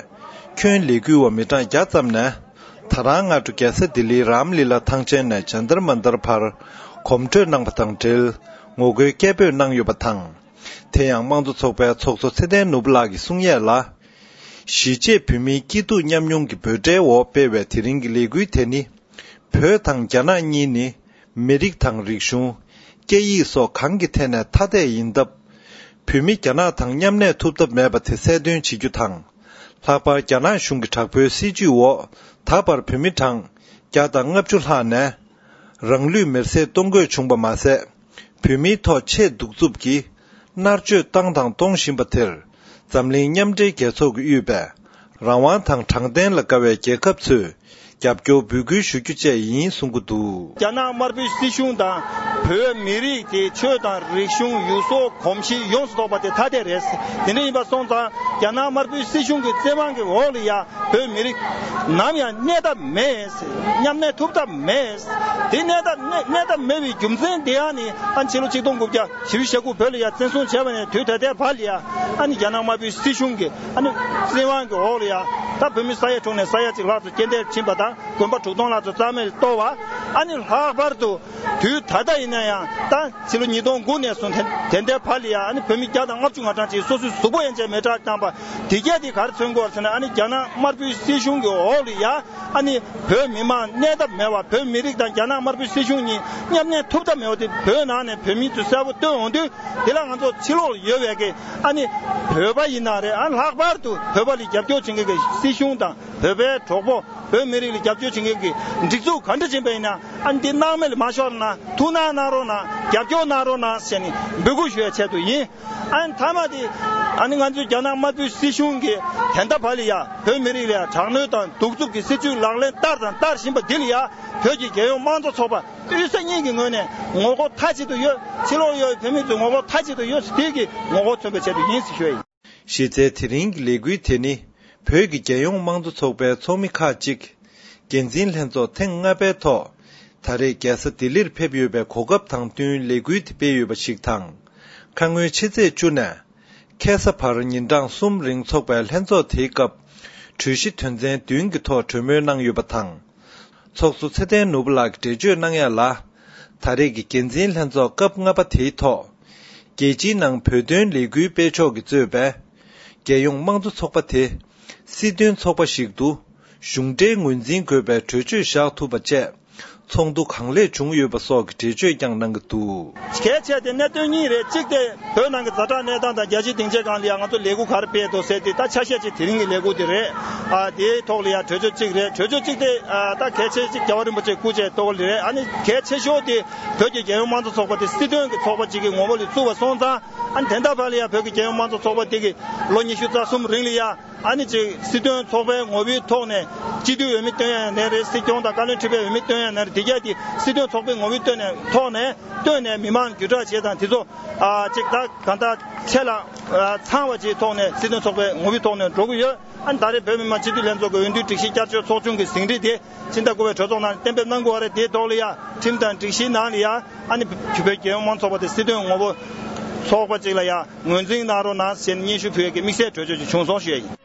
ཁྱོན་ལས་འགུལ་བ་མི་གྲངས་བརྒྱ་ཙམ་ནས། ད་རང་སྔ་དྲོ་རྒྱལ་ས་ལྡི་ལིའི་རམ་ལི་ལ་ཐང་ཆེན་ནས་ཇན་ཏར་མན་ཏར་བར་གོམ་བགྲོད་གནང་བ་དང་འབྲེལ་ངོ་རྒོལ་སྐད་འབོད་གནང་ཡོད་པ་དང་། དེ་ཡང་དམངས་གཙོ་ཚོགས་པའི་ཚོགས་གཙོ་ཚེ་བརྟན་ནོར་བུ་ལགས་ཀྱིས་གསུང་ཡས་ལ། གཞིས་བྱེས་བོད་མིའི་སྐྱིད་སྡུག་མཉམ་མྱོང་གི་འབོད་སྒྲའི་འོག་སྤེལ་བའི་དེ་རིང་གི་ལས་འགུལ་དེ་ནི། བོད་དང་རྒྱ་ནག་གཉིས་ནི། མི་རིགས་དང་རིག་གཞུང་། སྐད་ཡིག་སོགས་གང་གི་ཐད་ནས་ཐ་དད་ཡིན་སྟབས། བོད་མི་རྒྱ་ནག་དང་མཉམ་གནས་ཐུབ་ཐབས་མེད་པ་དེ་གསལ་སྟོན་བྱེད་རྒྱུ་དང་། ལྷག་པར་རྒྱ་ནག་གཞུང་གི་དྲག་པོའི་སྲིད་བྱུས་འོག་ད་བར་བོད་མི་གྲངས་བརྒྱ་དང་ལྔ་བཅུ་ལྷག་ནས། རང་ལུས་མེར་སྲེག་གཏོང་དགོས་བྱུང་བ་མ་ཟད། བོད་མིའི་ཐོག་ཆེས་གདུག་རྩུབ་ཀྱིས་མནར་གཅོད་བཏང་དང་གཏོང་བཞིན་པ་དེར། འཛམ་གླིང་མཉམ་འབྲེལ་རྒྱལ་ཚོགས་ཀྱིས་དབུས་པའི་རང་དབང་དང་དྲང་བདེན་ལ་དགའ་བའི་རྒྱལ་ཁབ་ཚོས་རྒྱབ་སྐྱོར་འབོད་སྐུལ་ཞུ་རྒྱུ་བཅས་ཡིན་གསུང་གི་འདུག། རྒྱ་ནག་དམར་པོའི་སྲིད་གཞུང་དང་བོད་མི་རིགས་དེ་ཆོས་དང་རིག་གཞུང་ཡུལ་སྲོལ་གོམས་གཤིས་ཡོངས་སུ་རྫོགས་པ་དེ་ཐ་དད་རེད། དེ་འདྲ་ཡིན་པ་སོང་ཙང་རྒྱ་ནག་དམར་པོའི་སྲིད་གཞུང་གི་བཙན་དབང་གི་འོག་ལ་ཡ་བོད་མི་རིགས་ནམ་ཡང་གནས་ཐབས་མེད། མཉམ་གནས་ཐུབ་ཐབས་མེད། དེ་གནས་ཐབས་གནས་གནས་ཐབས་མེད་པའི་རྒྱུ་མཚན་དེ་ཡང་ནི་ཨ་ཕྱི་ལོ་ཆིག་སྟོང་དགུ་བརྒྱ་བཞི་བཅུ་ཞེ་དགུ་བོད་ལ་ཡ་བཙན་བཟུང་བྱས་པ་ནས་དུས་ད་ལྟའི་བར་ལ་ཡ་ཨ་ནི་རྒྱ་ནག་དམར་པོའི་སྲིད་གཞུང་གི་ཨ་ནི་བཙན་དབང་གི་འོག་ལ་ཡ་ད་བོད་མི་ས་ཡ་དྲུག་ནས་ས་ཡ་གཅིག་ལྷག་ཙམ་རྐྱེན་འདས་ཕྱིན་པ་དང་དགོན་པ་དྲུག་སྟོང་ལྷག་ཙམ་རྩ་མེད་གཏོར་བ། ཨ་ནི་ལྷག་པར་དུ་དུས་ད་ལྟ་ཡིན་ན་ཡང་ད་ཕྱི་ལོ་ཉིས་སྟོང་དགུ་ནས་བཟུང་དེ་དེ་འདྲའི་བར་ལ་ཡ་ཨ་ནི་བོད་མི་བརྒྱ་དང་ལྔ་བཅུ་ང་གྲངས་ཅིག་སོ་སོའི་གཟུགས་པོ་ཡན་ཆད་མེ་སྲེག་བཏང་པ་དེ་གས་དེ་ག་རེ་མཚོན་གྱི་ཡོད་ཟེར་ན། ཨ་ནི་རྒྱ་ནག་དམར་པོའི་སྲིད་གཞུང་གི་འོག་ལ་ཡ་ཨ་ནི་བོད་མི་མང་གནས་ཐབས་མེད་པ། བོད་མི་རིགས་དང་རྒྱ་ནག་དམར་པོའི་སྲིད་གཞུང་གཉིས་མཉམ་གནས་ཐུབ་ཐབས་མེད་པ་དེ་བོད་ནང་ནས་བོད་མི་ཚོས་གསལ་པོ་སྟོན་འོང་དུས། དེ་ལ་ང་ཚོ་ཕྱི་ལོགས་ལ་ཡོད་པའི་གི་ཨ་ནི་བོད་པ་ཡིན་ན་རེད། ཨ་ལྷག་པར་དུ་བོད་པ་ལ་རྒྱབ་སྐྱོར་བྱེད་མཁན་གྱི་སྲིད་གཞུང་དང་བོད་པའི་གྲོགས་པོ་བོད་མི་རིགས་ལ་རྒྱབ་སྐྱོར་བྱེད་མཁན་གྱི་སྒྲིག་འཛུགས་ག་འདྲ་ཅིག་ཡིན་པ་ཡིན་ན། ཨ་ནི་འདི་སྣང་མེད་ལ་མ་ཤོར་ན། ཐུགས་སྣང་གནང་རོགས་གནང་། རྒྱབ་སྐྱོར་གནང་རོགས་གནང་ཞེས་ནས་འབོད་སྐུལ་ཞུ་བའི་ཆེད་དུ་ཡིན། ཨ་ནི་མཐའ་མ་དེ་ཨ་ནི་ང་ཚོའི་རྒྱ་ནག་དམར་པོའི་སྲིད་གཞུང་གིས་ད་ལྟ་བར་ལ་ཡ་བོད་མི་རིགས་ལ་ཡ་དྲག་གནོན་དང་གདུག་རྩུབ་ཀྱི་སྲིད་བྱུས་ལག་ལེན་བསྟར་དང་བསྟར་བཞིན་པ་འདི་ལ་ཡ་བོད་ཀྱི་རྒྱལ་ཡོངས་དམངས་གཙོ་ཚོགས་པ་དབུས་ས་གཉིས་ཀྱི་ངོས་ནས་ངོ་རྒོལ་མཐའ་གཅིག་ཏུ་ཡོད། ཕྱི་ལོགས་ཡོད་བོད་མི་ཚོས་ངོ་རྒོལ་མཐའ་གཅིག་ཏུ་ཡོད། དེ་གི་ངོ་རྒོལ་མཚོན་པའི་ཆེད་དུ་ཡིན་ཟེར་ཞུ་ཡ་ཡིན། གཞི་རྩའི་དེ་རིང་གི་ལས་འགུལ་དེ་ནི་བོད་ཀྱི་རྒྱལ་ཡོངས་དམངས་གཙོ་ཚོགས་པའི་ཚོགས་མི་ཁག་ཅིག་འགན་འཛིན་ལྷན་ཚོགས་ཐེངས་ལྔ་པའི་ཐོག་ད་རེས་རྒྱལ་ས་ལྡི་ལིར་ཕེབས་ཡོད་པའི་གོ་སྐབས་དང་བསྟུན་ལས་འགུལ་དེ་སྤེལ་ཡོད་པ་ཞིག་དང་། ཁ་སྔོན་ཕྱི་ཚེས་བཅུ་ནས་ཁ་སང་བར་ཉིན་གྲངས་གསུམ་རིང་འཚོགས་པའི་ལྷན་ཚོགས་དེའི་སྐབས་གྲོས་གཞི་དོན་ཚན་བདུན་གྱི་ཐོག་གྲོས་མོལ་གནང་ཡོད་པ་དང་། ཚོགས་གཙོ་ཚེ་བརྟན་ནོར་བུ་ལགས་ཀྱིས་འགྲེལ་བརྗོད་གནང་ཡ་ལ། ད་རེས་ཀྱི་འགན་འཛིན་ལྷན་ཚོགས་སྐབས་ལྔ་པ་དེའི་ཐོག་རྒྱལ་སྤྱིའི་ནང་བོད་དོན་ལས་འགུལ་སྤེལ་ཕྱོགས་ཀྱིས་གཙོས་པའི་རྒྱལ་ཡོངས་དམངས་གཙོ་ཚོགས་པ་དེ་སྲིད་དོན་ཚོགས་པ་ཞིག་ཏུ་གཞུང་འབྲེལ་ངོས་འཛིན་དགོས་པའི་གྲོས་ཆོད་བཞག་ཐུབ་པ་བཅས་ཚོགས་འདུ་གང་ལེགས་བྱུང་ཡོད་པ་སོགས་ཀྱི་འགྲེལ་བརྗོད་ཀྱང་གནང་གི་འདུག། གལ་ཆེ་དེ་གནད་དོན་གཉིས་རེད། གཅིག་དེ་བོད་ནང་གི་ཛ་དྲག་གནས་སྟངས་དང་རྒྱལ་སྤྱིའི་སྡིངས་ཆའི་སྒང་ལ་ཡང་ང་ཚོ་ལས་འགུལ་ག་རེ་སྤེལ་འདུག་ཟེར་དེ་ད་ཆ་ཤས་ཅིག་དེ་རིང་གི་ལས་འགུལ་དེ་རེད། ཨ་དེའི་ཐོག་ལ་ཡང་གྲོས་ཆོད་གཅིག་རེད། གྲོས་ཆོད་གཅིག་དེ་ཨ་ད་གལ་ཆེ་གཅིག་རྒྱལ་བ་རིན་པོ་ཆེ་སྐུ་ཕྱྭའི་ཐོག་ལ་རེད། ཨ་ནི་གལ་ཆེ་ཤོས་དེ་བོད་ཀྱི་རྒྱལ་ཡོངས་དམངས་གཙོ་ཚོགས་པ་དེ་སྲིད་དོན་གྱི་ཚོགས་པ་ཅིག་གི་ངོ་བོ་ལ་བཙུགས་པ་སོང་ཙང་། ཨ་ནི་དེ་འདྲ་བར་ལ་ཡང་བོད་ཀྱི་རྒྱལ་ཡོངས་དམངས་གཙོ་ཚོགས་པ་དེ་གི་ལོ་ཉི་ཤུ་རྩ་གསུམ་རིང་ལ་ཡང་ཨ་ནི་ཅིག་སྲིད་དོན་ཚོགས་པའི་ངོ་བོའི་ཐོག་ནས་སྤྱི་འཐུས་འོས་མི་བཏོན་ཡ་ནས་རེད། སྲིད་སྐྱོང་དང་བཀའ་བློན་ཁྲི་པའི་འོས་མི་བཏོན་ཡ་ནས་རེད། དེ་གས་དེ་སྲིད་དོན་ཚོགས་པའི་ངོ་བོའི་བཏོན་ནས་ཐོག་ནས་བཏོན་ནས་མི་མང་བརྒྱུད་བསྒྲགས་བྱས་དང་དེ་ཚོ་ཨ་ཅིག་ད་གང་ལྟར་ཆེ་ལ་ཨ་ཚང་བ་ཅིག་ཐོག་ནས་སྲིད་དོན་ཚོགས་པའི་ངོ་བོའི་ཐོག་ནས་འགྲོ་གི་ཡོད། ཨ་ནི་ད་རེས་བོད་མི་མང་སྤྱི་འཐུས་ལྷན་ཚོགས་ཀྱི་འོས་བསྡུའི་སྒྲིག་གཞི་བསྐྱར་བཅོས་ཚོགས་ཆུང་གི་ཟིན་བྲིས་དེ་ཕྱི་ཟླ་དགུ་པའི་གྲོས་ཚོགས་ནང་གཏན་འབེབས་གནང་དགོས་པ་རེད། དེའི་ཐོག་ལ་ཡ་ཁྲིམས་དང་སྒྲིག་གཞིའི་ནང་ལ་ཡ་ཨ་ནི་བོད་རྒྱལ་ཡོངས་དམངས་གཙོ་ཚོགས་པ་དེ་སྲིད་དོན་ངོ་བོ་ཚོགས་པ་ཅིག་ལ་ཡ་ངོས་འཛིན་གནང་རོགས་གནང་ཞེས་སྙན་ཞུ་ཕུལ་ཡས་ཀྱི་དམིགས་བསལ་གྲོས་ཆོད་ཅིག་བྱུང་སོང་ཞུ་ཡས་ཡིན།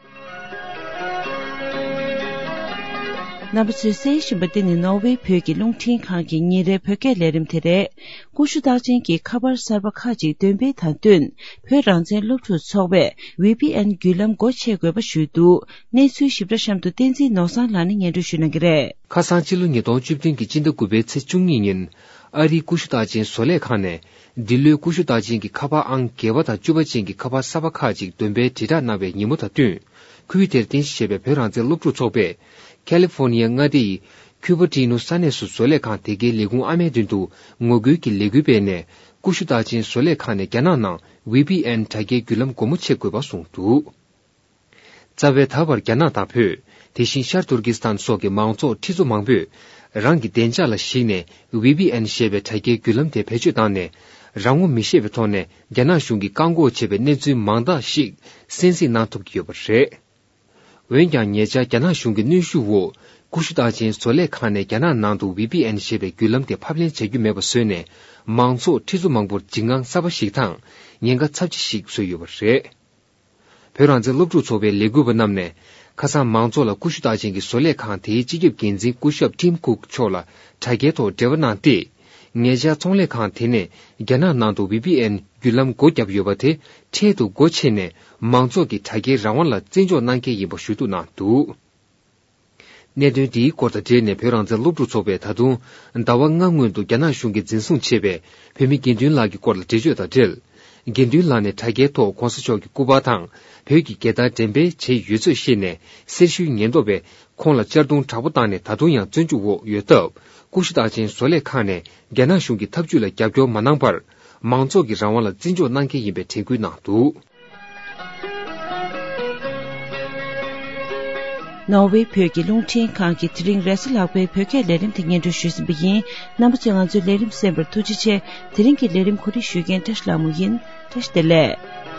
རྣམ་པ་ཚོས་གསན་བཞིན་པ་འདི་ནི་ནོར་ཝེ་བོད་ཀྱི་རླུང་འཕྲིན་ཁང་གི་ཉིན་རེའི་བོད་སྐད་ལས་རིམ་དེ་རེད། ཀུ་ཤུ་རྟགས་ཅན་གྱི་ཁ་པར་གསར་པ་ཁག་ཅིག་འདོན་སྤེལ་དང་བསྟུན། བོད་རང་བཙན་སློབ་ཕྲུག་ཚོགས་པས་ཝི་པི་ཨེན་བརྒྱུད་ལམ་སྒོ་ཕྱེ་དགོས་པ་ཞུས་འདུག། གནས་ཚུལ་ཞིབ་ཕྲ་གཤམ་དུ་བསྟན་འཛིན་ནོར་བཟང་ལགས་ནས་སྙན་སྒྲོན་ཞུ་གནང་གི་རེད། ཁ་སང་ཕྱི་ལོ་ཉིས་སྟོང་བཅུ་བདུན་གྱི་སྤྱི་ཟླ་དགུ་པའི་ཚེས་བཅུ་གཉིས་ཉིན། ཨ་རིའི་ཀུ་ཤུ་རྟགས་ཅན་བཟོ་ལས་ཁང་ནས། འདི་ལོའི་ཀུ་ཤུ་རྟགས་ཅན་གྱི་ཁ་པར་ཨང་བརྒྱད་པ་དང་བཅུ་པ་ཅན་གྱི་ཁ་པར་གསར་པ་ཁག་ཅིག་འདོན་སྤེལ་དྲིལ་བསྒྲགས་གནང་བའི་ཉིན་མོ་དང་བསྟུན། ཁུལ་དེར་རྟེན་གཞི་བྱས་པའི་བོད་རང་བཙན་སློབ་ཕྲུག་ཚོགས་པས། ཁ་ལི་ཧྥོ་ནི་ཡ་མངའ་སྡེ་ཡི་ཁུ་པ་ཏི་ནུ་ས་གནས་སུ་བཟོ་ལས་ཁང་དེ་གའི་ལས་ཁུངས་ཨ་མའི་མདུན་དུ་ངོ་རྒོལ་གྱི་ལས་འགུལ་སྤེལ་ནས། ཀུ་ཤུ་རྟགས་ཅན་བཟོ་ལས་ཁང་ནས་རྒྱ་ནག་ནང་ཝི་པི་ཨེན་དྲ་རྒྱའི་བརྒྱུད་ལམ་སྒོ་མོ་ཕྱེ་དགོས་པ་གསུངས་འདུག། རྩ་བའི་ད་བར་རྒྱ་ནག་དང་བོད། དེ་བཞིན་ཤར་ཏུར་ཀི་སི་ཐན་སོགས་ཀྱི་མང་ཚོགས་ཁྲི་ཚོ་མང་པོས། རང་གི་བདེ་འཇགས་ལ་གཞིགས་ནས་ཝི་པི་ཨེན་ཞེས་པའི་དྲ་རྒྱའི་བརྒྱུད་ལམ་དེ་བེད་སྤྱོད་བཏང་ནས། རང་ངོ་མི་ཤེས་པའི་ཐོག་ནས་རྒྱ་ནག་གཞུང་གིས་བཀག་འགོག་བྱས་པའི་གནས་ཚུལ་མང་དག་ཞིག་གསན་གཟིགས་གནང་ཐུབ་ཀྱི་ཡོད་པ་རེད། འོན་ཀྱང་། ཉེ་ཆར་རྒྱ་ནག་གཞུང་གི་གནོན་ཤུགས་འོག་ཀུ་ཤུ་རྟགས་ཅན་བཟོ་ལས་ཁང་ནས་རྒྱ་ནག་ནང་དུ་ཝི་པི་ཨེན་ཞེས་པའི་བརྒྱུད་ལམ་དེ་ཕབ་ལེན་བྱ་རྒྱུ་མེད་པ་བཟོས་ནས། མང་ཚོགས་ཁྲི་ཚོ་མང་པོར་འཇིགས་དངངས་གསར་པ་ཞིག་དང་། ཉེན་ཁ་ཚབས་ཆེ་ཞིག་བཟོས་ཡོད་པ་རེད། བོད་རང་བཙན་སློབ་ཕྲུག་ཚོགས་པའི་ལས་འགུལ་བ་རྣམས་ནས། ཁ་སང་མང་ཚོགས་ལ་ཀུ་ཤུ་རྟགས་ཅན་གྱི་བཟོ་ལས་ཁང་དེའི་སྤྱི་ཁྱབ་འགན་འཛིན་སྐུ་ཞབས་ཊིམ་ཀུག་མཆོག་ལ་དྲ་རྒྱའི་ཐོག་འབྲེལ་བ་གནང་སྟེ། ཉེ་ཆར་ཚོང་ལས་ཁང་དེ་ནས་རྒྱ་ནག་ནང་དུ་ཝི་པི་ཨེན་བརྒྱུད་ལམ་སྒོ་བརྒྱབ་ཡོད་པ་དེ་འཕྲལ་དུ་སྒོ་ཕྱེ་ནས་མང་ཚོགས་ཀྱི་དྲ་རྒྱའི་རང་དབང་ལ་བརྩི་འཇོག་གནང་གལ་ཡིན་པ་ཞུ་གཏུག་གནང་འདུག་གནད་དོན་འདིའི་སྐོར་དང་འབྲེལ་ནས་བོད་རང་བཙན་སློབ་ཕྲུག་ཚོགས་པས་ད་དུང་ཟླ་བ་ལྔ་སྔོན་དུ་རྒྱ་ནག་གཞུང་གིས་འཛིན་བཟུང་བྱས་པའི་བོད་མི་དགེ་འདུན་ལགས་ཀྱི་སྐོར་ལ་འགྲེལ་བརྗོད་དང་འབྲེལ། དགེ་འདུན་ལགས་ནས་དྲ་རྒྱའི་ཐོག་༧གོང་ས་མཆོག་གི་སྐུ་པར་དང་བོད་ཀྱི་རྒྱལ་དར་འགྲེམས་སྤེལ་བྱས་ཡོད་ཚུལ་ཤེས་ནས་གསེར་ཞུའི་ཉེན་རྟོག་པས་ཁོང་ལ་གཅར་རྡུང་དྲག་པོ་བཏང་ནས་ད་དུང་ཡང་བཙོན་འཇུག་འོག་ཡོད་སྟབས། ཀུ་ཤུ་རྟགས་ཅན་བཟོ་ལས་ཁང་ནས་རྒྱ་ནག་གཞུང་གི་ཐབས་ཇུས་ལ་རྒྱབ་སྐྱོར་མ་གནང་བར། མང་ཚོགས་ཀྱི་རང་དབང་ལ་བརྩི་འཇོག་གནང་གལ་ཡིན་པའི་དྲན་སྐུལ་གནང་འདུག་ནོར་ཝེ་བོད་ཀྱི་རླུང་འཕྲིན་ཁང་གིས་དེ་རིང་རེས་གཟའ་ལྷག་པའི་བོད་སྐད་ལས་རིམ་དེ་སྙན་སྒྲོན་ཞུས་ཟིན་པ་ཡིན། རྣམ་པ་ཚོས་ང་ཚོའི་ལས་རིམ་གསན་པར་ཐུགས་རྗེ་ཆེ། དེ་རིང་གི་ལས་རིམ་གོ་སྒྲིག་ཞུ་མཁན་བཀྲ་ཤིས་ལྷ་མོ་ཡིན། བཀྲ་ཤིས་བདེ་ལེགས།